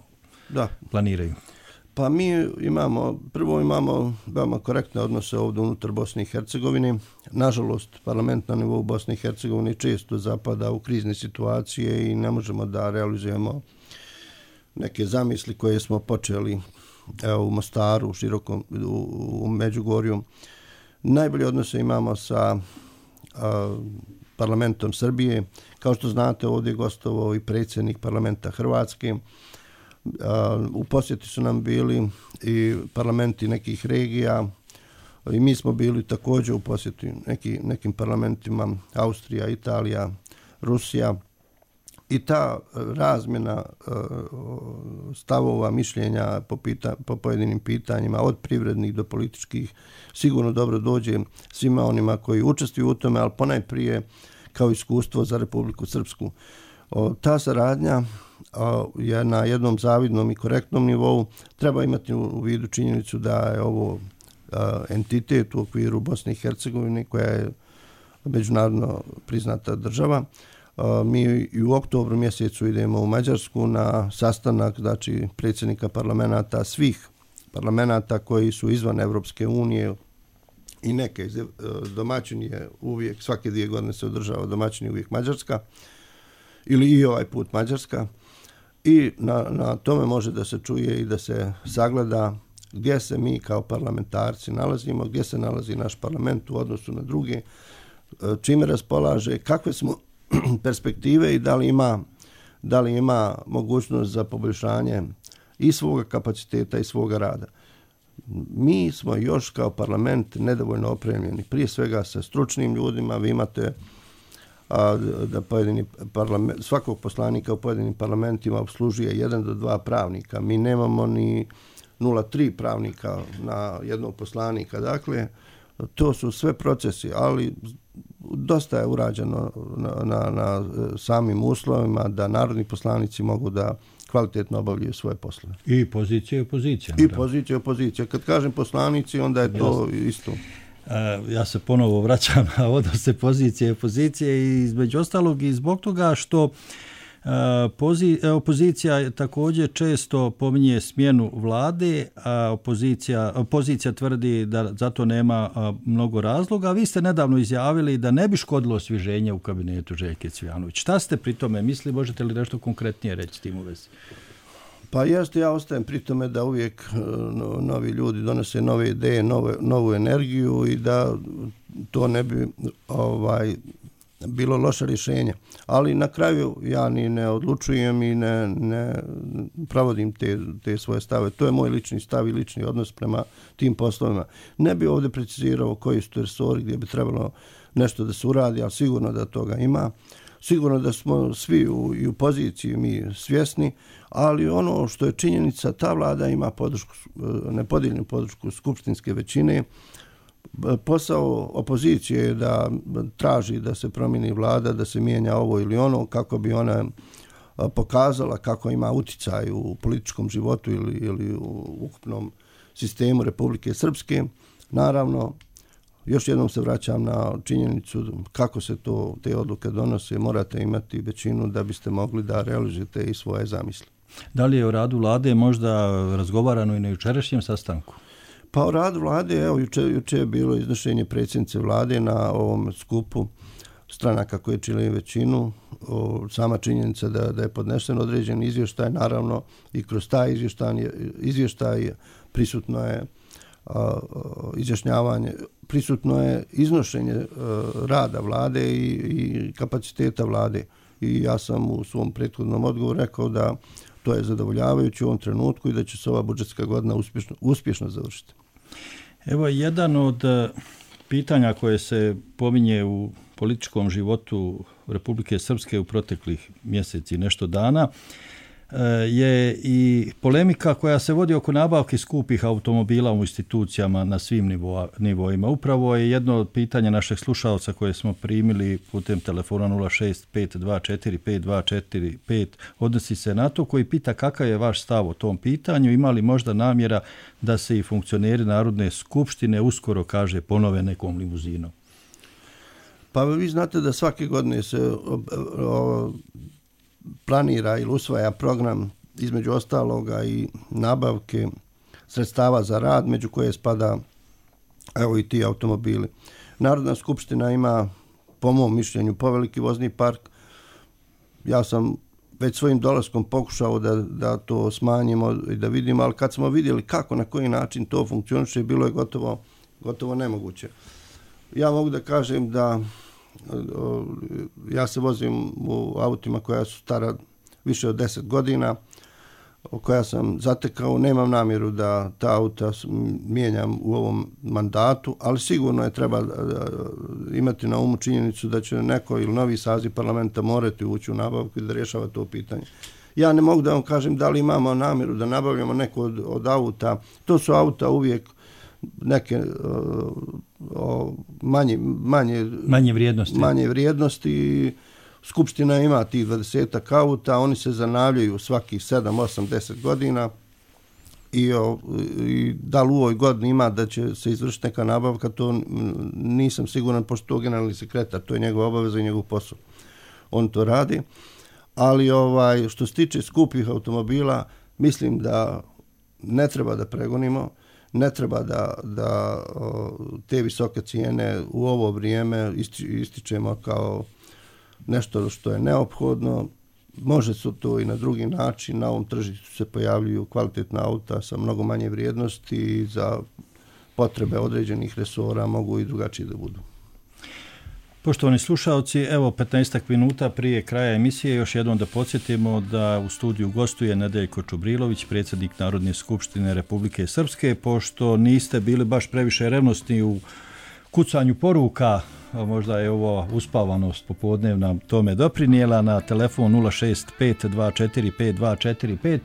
da. planiraju? Pa mi imamo, prvo imamo veoma korektne odnose ovdje unutar Bosne i Hercegovine. Nažalost, parlament na nivou Bosne i Hercegovine često zapada u krizne situacije i ne možemo da realizujemo neke zamisli koje smo počeli evo, u Mostaru, u širokom, u, u Međugorju. Najbolje odnose imamo sa a, parlamentom Srbije. Kao što znate, ovdje je gostovao i predsjednik parlamenta Hrvatske. Uh, u posjeti su nam bili i parlamenti nekih regija i mi smo bili također u posjeti neki, nekim parlamentima Austrija, Italija, Rusija i ta razmjena uh, stavova, mišljenja po, pita, po pojedinim pitanjima od privrednih do političkih sigurno dobro dođe svima onima koji učestvuju u tome, ali ponajprije kao iskustvo za Republiku Srpsku. O, ta saradnja o, je na jednom zavidnom i korektnom nivou. Treba imati u vidu činjenicu da je ovo a, entitet u okviru Bosne i Hercegovine koja je međunarodno priznata država. A, mi i u oktobru mjesecu idemo u Mađarsku na sastanak, znači predsjednika parlamenta, svih parlamenta koji su izvan Evropske unije i neke domaćin je uvijek, svake dvije godine se održava domaćin je uvijek Mađarska. Ili i ovaj put Mađarska i na, na tome može da se čuje i da se sagleda gdje se mi kao parlamentarci nalazimo, gdje se nalazi naš parlament u odnosu na druge, čime raspolaže, kakve smo perspektive i da li ima, da li ima mogućnost za poboljšanje i svoga kapaciteta i svoga rada. Mi smo još kao parlament nedovoljno opremljeni, prije svega sa stručnim ljudima. Vi imate a da pojedini parlament, svakog poslanika u pojedinim parlamentima obslužuje jedan do dva pravnika. Mi nemamo ni nula zarez tri pravnika na jednog poslanika. Dakle, to su sve procesi, ali dosta je urađeno na, na, na samim uslovima da narodni poslanici mogu da kvalitetno obavljaju svoje poslove. I pozicija i opozicija. I pozicija i opozicija. Kad kažem poslanici, onda je to Jasne. Isto. Ja se ponovo vraćam na odnose pozicije i opozicije i između ostalog i zbog toga što opozicija također često pominje smjenu vlade, a opozicija, opozicija tvrdi da zato nema mnogo razloga. Vi ste nedavno izjavili da ne bi škodilo osvježenje u kabinetu Željke Cvijanović. Šta ste pri tome mislili? Možete li nešto konkretnije reći s tim u vezi? Pa jeste, ja ostajem pri tome da uvijek novi ljudi donose nove ideje, nove, novu energiju i da to ne bi ovaj, bilo loše rješenje. Ali na kraju ja ni ne odlučujem i ne, ne pravodim te, te svoje stave. To je moj lični stav i lični odnos prema tim poslovima. Ne bi ovdje precizirao koji su to resori gdje bi trebalo nešto da se uradi, ali sigurno da toga ima. Sigurno da smo svi u, i u poziciji mi svjesni, ali ono što je činjenica, ta vlada ima podršku, nepodijeljenu podršku skupštinske većine. Posao opozicije je da traži da se promijeni vlada, da se mijenja ovo ili ono, kako bi ona pokazala kako ima uticaj u političkom životu ili, ili u ukupnom sistemu Republike Srpske. Naravno, još jednom se vraćam na činjenicu kako se to, te odluke donose. Morate imati većinu da biste mogli da realizujete i svoje zamisli. Da li je o radu vlade možda razgovarano i na jučerašnjem sastanku? Pa o radu vlade, evo, juče, juče je bilo iznošenje predsjednice vlade na ovom skupu stranaka koje čine većinu. O, sama činjenica da, da je podnesen određen izvještaj, naravno i kroz taj izvještaj, izvještaj prisutno je a, izjašnjavanje, prisutno je iznošenje a, rada vlade i, i kapaciteta vlade. I ja sam u svom prethodnom odgovoru rekao da to je zadovoljavajuće u ovom trenutku i da će se ova budžetska godina uspješno, uspješno završiti. Evo, jedan od pitanja koje se pominje u političkom životu Republike Srpske u proteklih mjeseci nešto dana je i polemika koja se vodi oko nabavke skupih automobila u institucijama na svim nivo, nivoima. Upravo je jedno od pitanja našeg slušalca koje smo primili putem telefona nula šest pet dva četiri pet dva četiri pet odnosi se na to, koji pita kakav je vaš stav o tom pitanju, ima li možda namjera da se i funkcioneri Narodne skupštine uskoro, kaže, ponove nekom limuzinom. Pa vi znate da svake godine se o, o, planira ili usvaja program, između ostaloga i nabavke sredstava za rad, među koje spada evo i ti automobili. Narodna skupština ima, po mom mišljenju, poveliki vozni park. Ja sam već svojim dolaskom pokušao da, da to smanjimo i da vidimo, ali kad smo vidjeli kako, na koji način to funkcioniše, bilo je gotovo, gotovo nemoguće. Ja mogu da kažem da ja se vozim u autima koja su stara više od deset godina, koja sam zatekao, nemam namjeru da ta auta mijenjam u ovom mandatu, ali sigurno je treba imati na umu činjenicu da će neko ili novi saziv parlamenta morati ući u nabavku i da rješava to pitanje. Ja ne mogu da vam kažem da li imamo namjeru da nabavljamo neko od, od auta. To su auta uvijek neke uh, manje, manje, manje vrijednosti. Manje vrijednosti. Skupština ima tih dvadesetak auta, oni se zanavljaju svakih sedam, osam, deset godina i, o, i da li u ovoj godini ima da će se izvršiti neka nabavka, to nisam siguran, pošto to generalni sekretar, to je njegova obaveza i njegov posao. On to radi. Ali ovaj, što se tiče skupih automobila, mislim da ne treba da pregonimo, ne treba da, da o, te visoke cijene u ovo vrijeme isti, ističemo kao nešto što je neophodno. Može se to i na drugi način. Na ovom tržištu se pojavljuju kvalitetna auta sa mnogo manje vrijednosti i za potrebe određenih resora mogu i drugačije da budu. Poštovani slušalci, evo petnaestak minuta prije kraja emisije još jednom da podsjetimo da u studiju gostuje Nedeljko Čubrilović, predsjednik Narodne skupštine Republike Srpske. Pošto niste bili baš previše revnosni u kucanju poruka, možda je ovo uspavanost popodnevna tome doprinijela, na telefon nula šest pet dva četiri pet dva četiri pet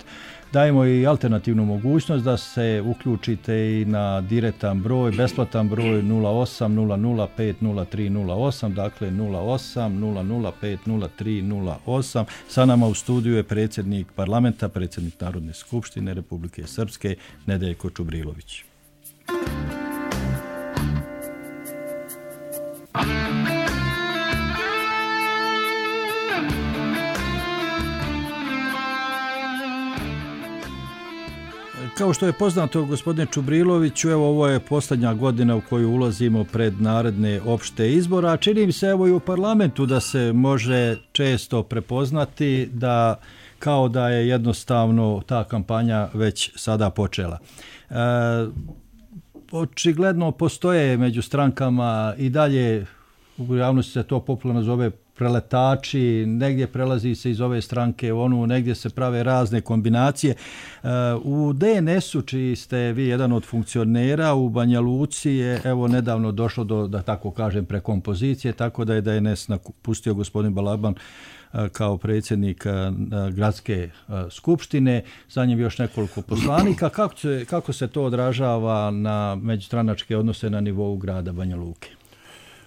dajemo i alternativnu mogućnost da se uključite i na direktan broj, besplatan broj nula osam nula nula pet nula tri nula osam, dakle nula osam nula nula pet nula tri nula osam. Sa nama u studiju je predsjednik parlamenta, predsjednik Narodne skupštine Republike Srpske, Nedeljko Čubrilović. Kao što je poznato, gospodine Čubriloviću, evo ovo je posljednja godina u koju ulazimo pred naredne opšte izbora, a čini mi se evo i u parlamentu da se može često prepoznati da kao da je jednostavno ta kampanja već sada počela. E, očigledno postoje među strankama i dalje, u javnosti se to popularno zove preletači, negdje prelazi se iz ove stranke u onu, negdje se prave razne kombinacije. U D N S-u, čiji ste vi jedan od funkcionera, u Banja Luci je evo nedavno došlo do, da tako kažem, prekompozicije, tako da je D N S napustio gospodin Balaban kao predsjednik gradske skupštine, za njim još nekoliko poslanika. Kako se, kako se to odražava na međustranačke odnose na nivou grada Banja Luke?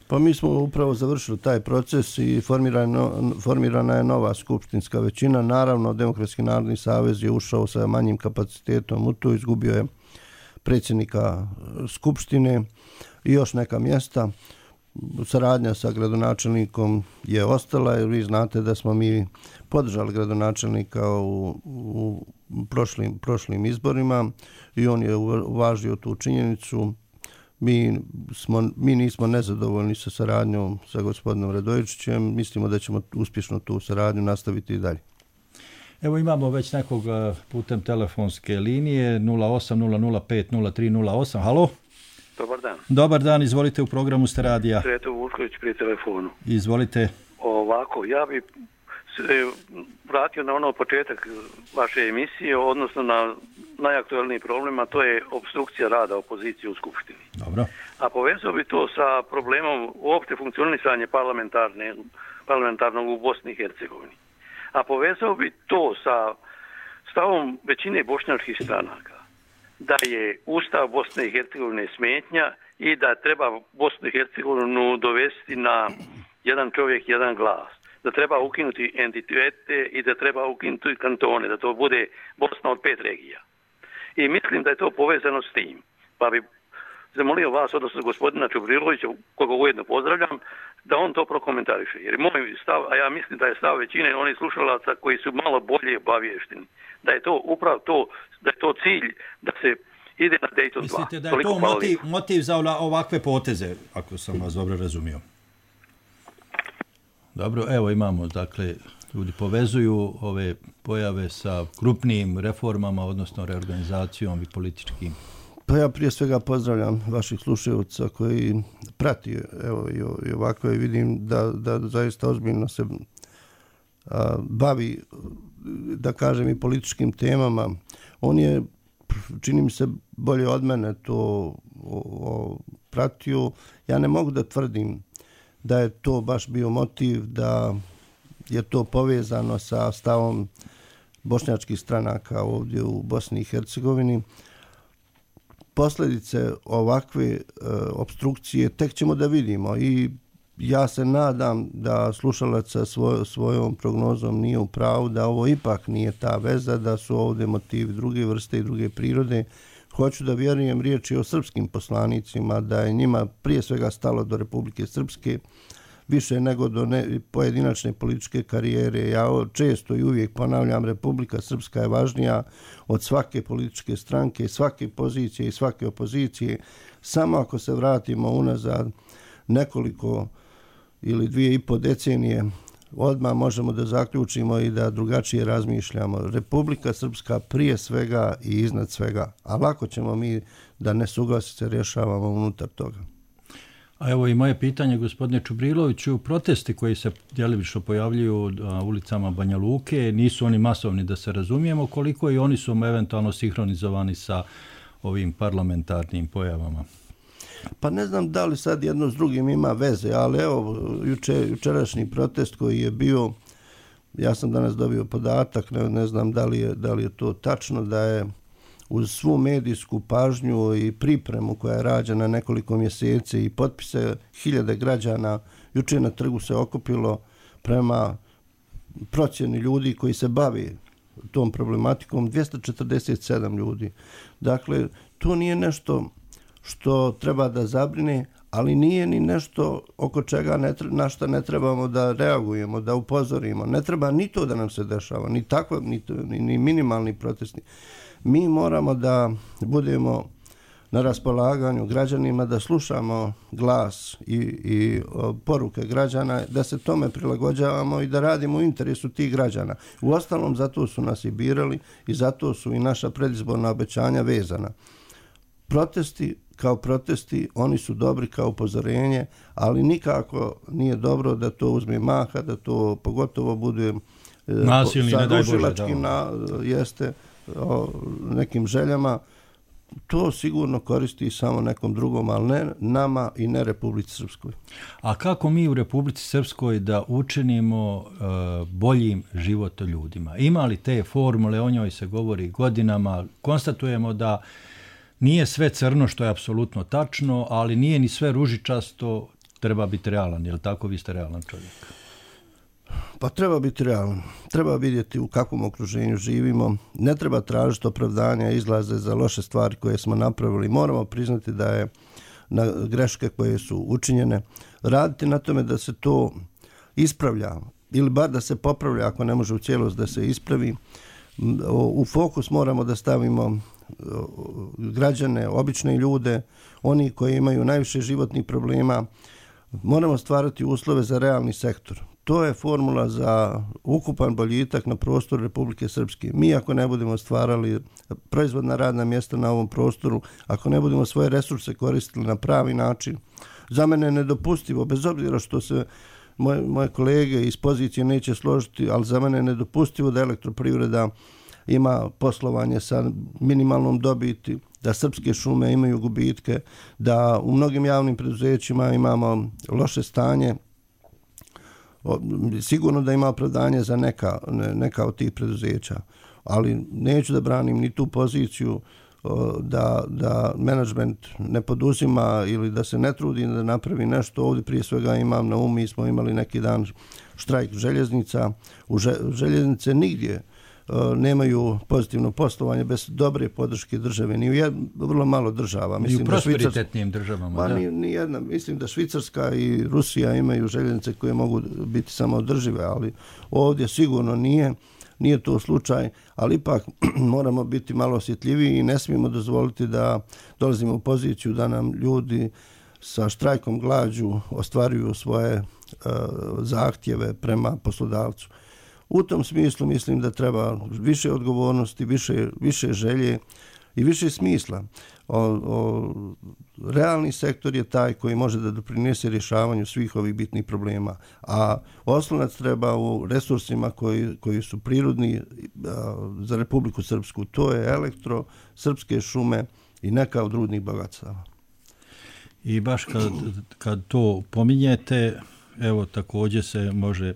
Pa mi smo upravo završili taj proces i formirana, formirana je nova skupštinska većina. Naravno, Demokratski narodni savez je ušao sa manjim kapacitetom u to, izgubio je predsjednika skupštine i još neka mjesta. Saradnja sa gradonačelnikom je ostala, jer vi znate da smo mi podržali gradonačelnika u, u prošlim, prošlim izborima i on je uvažio tu činjenicu. Mi, smo, mi nismo nezadovoljni sa saradnjom sa gospodinom Radojičićem. Mislimo da ćemo uspješno tu saradnju nastaviti i dalje. Evo imamo već nekog putem telefonske linije nula osam nula nula pet nula tri nula osam. Halo? Dobar dan. Dobar dan, izvolite, u programu ste radija. Sreto Vušković pri telefonu. Izvolite. Ovako, ja bi se vratio na ono početak vaše emisije, odnosno na najaktualniji problem, a to je obstrukcija rada opozicije u Skupštini. Dobro. A povezao bi to sa problemom uopšte funkcionisanja parlamentarne, parlamentarnog u Bosni i Hercegovini. A povezao bi to sa stavom većine bošnjačkih stranaka da je Ustav Bosne i Hercegovine smetnja i da treba Bosnu i Hercegovinu dovesti na jedan čovjek, jedan glas. Da treba ukinuti entitete i da treba ukinuti kantone, da to bude Bosna od pet regija. I mislim da je to povezano s tim. Pa bi zamolio vas, odnosno gospodina Čubrilovića, koga ujedno pozdravljam, da on to prokomentariše. Jer moj stav, a ja mislim da je stav većine onih slušalaca koji su malo bolje obavješteni, da je to upravo to, da je to cilj da se ide na Dayton dva. Mislite da je to motiv, motiv za ovakve poteze, ako sam vas dobro razumio? Dobro, evo imamo, dakle, ljudi povezuju ove pojave sa krupnim reformama, odnosno reorganizacijom i političkim. Pa ja prije svega pozdravljam vaših slušajuca koji prati evo, i ovako i vidim da, da zaista ozbiljno se a, bavi, da kažem, i političkim temama. On je, čini mi se, bolje od mene to o, o, pratio. Ja ne mogu da tvrdim da je to baš bio motiv, da je to povezano sa stavom bošnjačkih stranaka ovdje u Bosni i Hercegovini. Posljedice ovakve e, obstrukcije tek ćemo da vidimo i ja se nadam da slušalac sa svoj, svojom prognozom nije u pravu, da ovo ipak nije ta veza, da su ovdje motivi druge vrste i druge prirode. Hoću da vjerujem riječi o srpskim poslanicima, da je njima prije svega stalo do Republike Srpske, više nego do ne, pojedinačne političke karijere. Ja često i uvijek ponavljam, Republika Srpska je važnija od svake političke stranke, svake pozicije i svake opozicije. Samo ako se vratimo unazad nekoliko ili dvije i po decenije, odmah možemo da zaključimo i da drugačije razmišljamo. Republika Srpska prije svega i iznad svega. A lako ćemo mi da nesuglasice rješavamo unutar toga. A evo i moje pitanje, gospodine Čubriloviću, protesti koji se djelomično pojavljuju na ulicama Banja Luke, nisu oni masovni da se razumijemo, koliko i oni su eventualno sinhronizovani sa ovim parlamentarnim pojavama? Pa ne znam da li sad jedno s drugim ima veze, ali evo, juče, jučerašnji protest koji je bio, ja sam danas dobio podatak, ne, ne znam da li, je, da li je to tačno, da je uz svu medijsku pažnju i pripremu koja je rađena nekoliko mjeseci i potpise hiljade građana, juče na trgu se okupilo prema procjeni ljudi koji se bavi tom problematikom dvjesto četrdeset sedam ljudi. Dakle, to nije nešto što treba da zabrine, ali nije ni nešto oko čega ne treba, na što ne trebamo da reagujemo, da upozorimo. Ne treba ni to da nam se dešava, ni takva, ni, ni, ni minimalni protesti. Mi moramo da budemo na raspolaganju građanima, da slušamo glas i, i o, poruke građana, da se tome prilagođavamo i da radimo u interesu tih građana. U ostalom, zato su nas i birali i zato su i naša predizborna obećanja vezana. Protesti kao protesti, oni su dobri kao upozorenje, ali nikako nije dobro da to uzme maha, da to pogotovo bude nasilni, sa ne daj Bože, na, jeste o nekim željama. To sigurno koristi samo nekom drugom, ali ne nama i ne Republici Srpskoj. A kako mi u Republici Srpskoj da učinimo uh, boljim život ljudima? Ima li te formule, o njoj se govori godinama, konstatujemo da nije sve crno, što je apsolutno tačno, ali nije ni sve ružičasto, treba biti realan. Je li tako? Vi ste realan čovjek. Pa treba biti realan. Treba vidjeti u kakvom okruženju živimo. Ne treba tražiti opravdanja i izlaze za loše stvari koje smo napravili. Moramo priznati da je na greške koje su učinjene. Raditi na tome da se to ispravlja ili bar da se popravlja ako ne može u cijelost da se ispravi. U fokus moramo da stavimo građane, obične ljude, oni koji imaju najviše životnih problema. Moramo stvarati uslove za realni sektor. To je formula za ukupan boljitak na prostoru Republike Srpske. Mi ako ne budemo stvarali proizvodna radna mjesta na ovom prostoru, ako ne budemo svoje resurse koristili na pravi način, za mene je nedopustivo, bez obzira što se moje, moje kolege iz pozicije neće složiti, ali za mene je nedopustivo da elektroprivreda ima poslovanje sa minimalnom dobiti, da srpske šume imaju gubitke, da u mnogim javnim preduzećima imamo loše stanje. Sigurno da ima opravdanje za neka, neka od tih preduzeća. ali neću da branim ni tu poziciju da, da menadžment ne poduzima ili da se ne trudi da napravi nešto. Ovdje prije svega imam na umu, mi smo imali neki dan štrajk željeznica. U željeznice nigdje nemaju pozitivno poslovanje bez dobre podrške države. Ni u jed, vrlo malo država. Mislim, I u prosperitetnim državama. Pa da. Ni, ni jedna. Mislim da Švicarska i Rusija imaju željeznice koje mogu biti samoodržive, ali ovdje sigurno nije. Nije to slučaj, ali ipak moramo biti malo osjetljiviji i ne smijemo dozvoliti da dolazimo u poziciju da nam ljudi sa štrajkom glađu ostvaruju svoje uh, zahtjeve prema poslodavcu. U tom smislu mislim da treba više odgovornosti, više, više želje i više smisla. O, o, realni sektor je taj koji može da doprinese rješavanju svih ovih bitnih problema, a oslonac treba u resursima koji, koji su prirodni a, za Republiku Srpsku. To je elektro, srpske šume i neka od rudnih bogatstava. I baš kad, kad to pominjete, evo također se može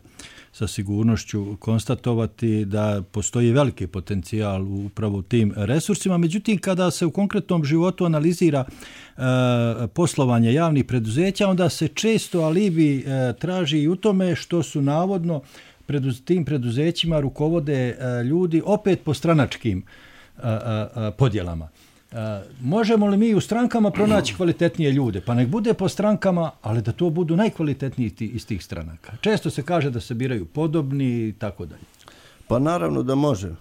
sa sigurnošću konstatovati da postoji veliki potencijal upravo u tim resursima. Međutim, kada se u konkretnom životu analizira e, poslovanje javnih preduzeća, onda se često alibi e, traži i u tome što su navodno preduz, tim preduzećima rukovode e, ljudi opet po stranačkim e, e, podjelama. Uh, možemo li mi u strankama pronaći kvalitetnije ljude? Pa nek bude po strankama, ali da to budu najkvalitetniji iz tih stranaka. Često se kaže da se biraju podobni i tako dalje. Pa naravno da može.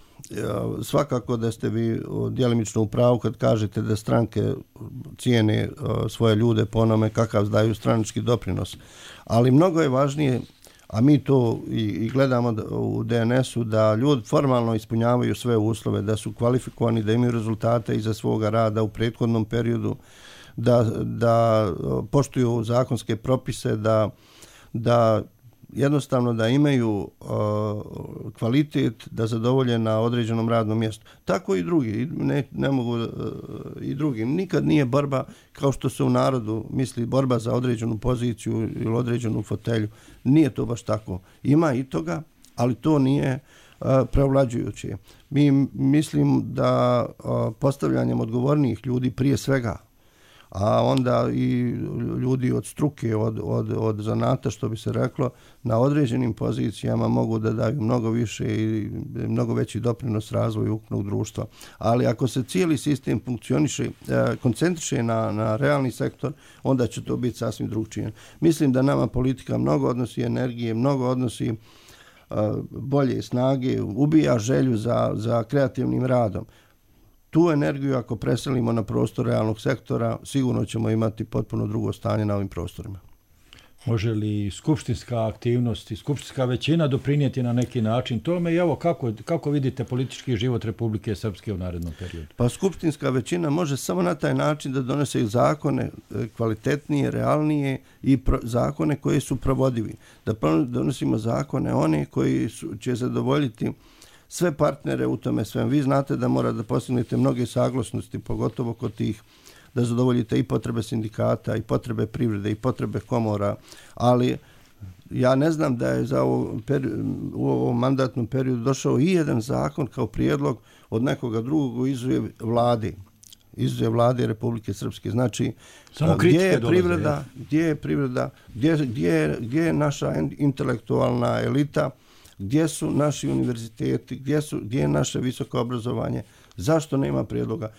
Svakako da ste vi djelimično u pravu kad kažete da stranke cijene svoje ljude po onome kakav daju stranački doprinos. Ali mnogo je važnije, a mi to i, i gledamo u D N S-u, da ljudi formalno ispunjavaju sve uslove, da su kvalifikovani, da imaju rezultate iza svoga rada u prethodnom periodu, da, da poštuju zakonske propise, da, da jednostavno da imaju uh, kvalitet, da zadovolje na određenom radnom mjestu. Tako i drugi, ne, ne mogu uh, i drugi. Nikad nije borba, kao što se u narodu misli, borba za određenu poziciju ili određenu fotelju. Nije to baš tako. Ima i toga, ali to nije uh, prevlađujuće. Mi mislim da uh, postavljanjem odgovornijih ljudi prije svega, a onda i ljudi od struke, od, od, od zanata, što bi se reklo, na određenim pozicijama mogu da daju mnogo više i mnogo veći doprinos razvoju ukupnog društva. Ali ako se cijeli sistem funkcioniše, koncentriše na, na realni sektor, onda će to biti sasvim drugčije. Mislim da nama politika mnogo odnosi energije, mnogo odnosi bolje snage, ubija želju za, za kreativnim radom. Tu energiju ako preselimo na prostor realnog sektora, sigurno ćemo imati potpuno drugo stanje na ovim prostorima. Može li skupštinska aktivnost i skupštinska većina doprinijeti na neki način tome? I evo, kako, kako vidite politički život Republike Srpske u narednom periodu? Pa skupštinska većina može samo na taj način da donese zakone kvalitetnije, realnije i pro, zakone koji su provodivi. Da donosimo zakone one koji su, će zadovoljiti sve partnere u tome svem. Vi znate da mora da postignete mnoge saglasnosti, pogotovo kod tih, da zadovoljite i potrebe sindikata, i potrebe privrede, i potrebe komora, ali ja ne znam da je za ovo, u ovom mandatnom periodu došao i jedan zakon kao prijedlog od nekoga drugog izuje vlade, izuje vlade Republike Srpske. Znači, gdje je privreda, gdje je privreda, gdje, gdje, gdje je naša intelektualna elita, gdje su naši univerziteti, gdje, su, gdje je naše visoko obrazovanje, zašto nema prijedloga.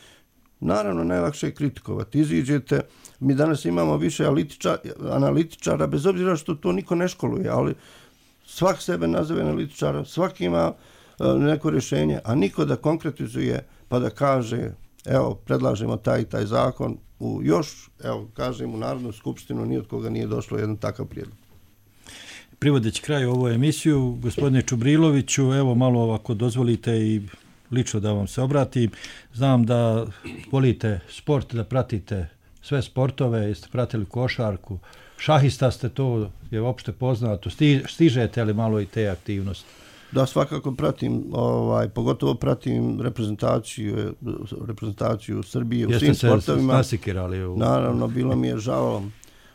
Naravno, najlakše je kritikovati. Iziđete, mi danas imamo više analitičara, analitičara, bez obzira što to niko ne školuje, ali svak sebe nazove analitičara, svaki ima uh, neko rješenje, a niko da konkretizuje pa da kaže, evo, predlažemo taj i taj zakon, u još, evo, kažem, u Narodnu skupštinu ni od koga nije došlo jedan takav prijedlog. Privodeći kraju ovu emisiju, gospodine Čubriloviću, evo malo ako dozvolite i lično da vam se obratim. Znam da volite sport, da pratite sve sportove, jeste pratili košarku, šahista ste, to je uopšte poznato, stižete li malo i te aktivnosti? Da, svakako pratim, ovaj, pogotovo pratim reprezentaciju, reprezentaciju Srbije u jeste svim sportovima. Jeste se nasikirali? U... Naravno, bilo mi je žao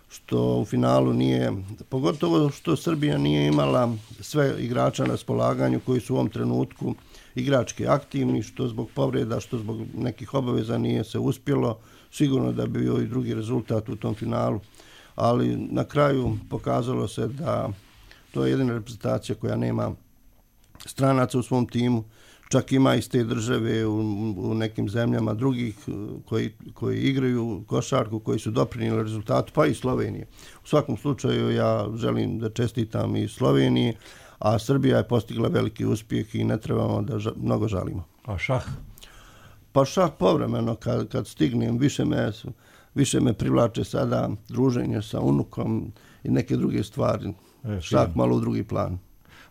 što u finalu nije, pogotovo što Srbija nije imala sve igrača na raspolaganju koji su u ovom trenutku igrački aktivni, što zbog povreda, što zbog nekih obaveza nije se uspjelo. Sigurno da bi bio i drugi rezultat u tom finalu, ali na kraju pokazalo se da to je jedina reprezentacija koja nema stranaca u svom timu, čak ima iz te države u, u nekim zemljama drugih koji, koji igraju košarku, koji su doprinijeli rezultatu, pa i Slovenije. U svakom slučaju ja želim da čestitam i Sloveniji, a Srbija je postigla veliki uspjeh i ne trebamo da ža, mnogo žalimo. A šah? Pa šah povremeno, kad, kad stignem, više me, više me privlače sada druženje sa unukom i neke druge stvari. E, šah malo u drugi plan.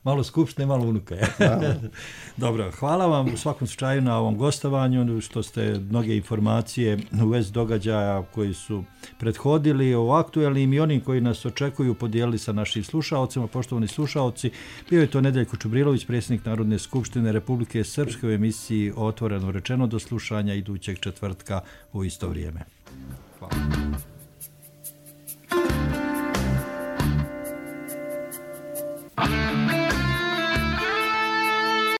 Malo skupštine, malo unuka. Dobro, hvala vam u svakom slučaju na ovom gostovanju, što ste mnoge informacije u vezi događaja koji su prethodili o aktuelnim i onim koji nas očekuju podijelili sa našim slušaocima. Poštovani slušaoci, bio je to Nedeljko Čubrilović, predsjednik Narodne skupštine Republike Srpske u emisiji Otvoreno rečeno, do slušanja idućeg četvrtka u isto vrijeme. Hvala. Thank you.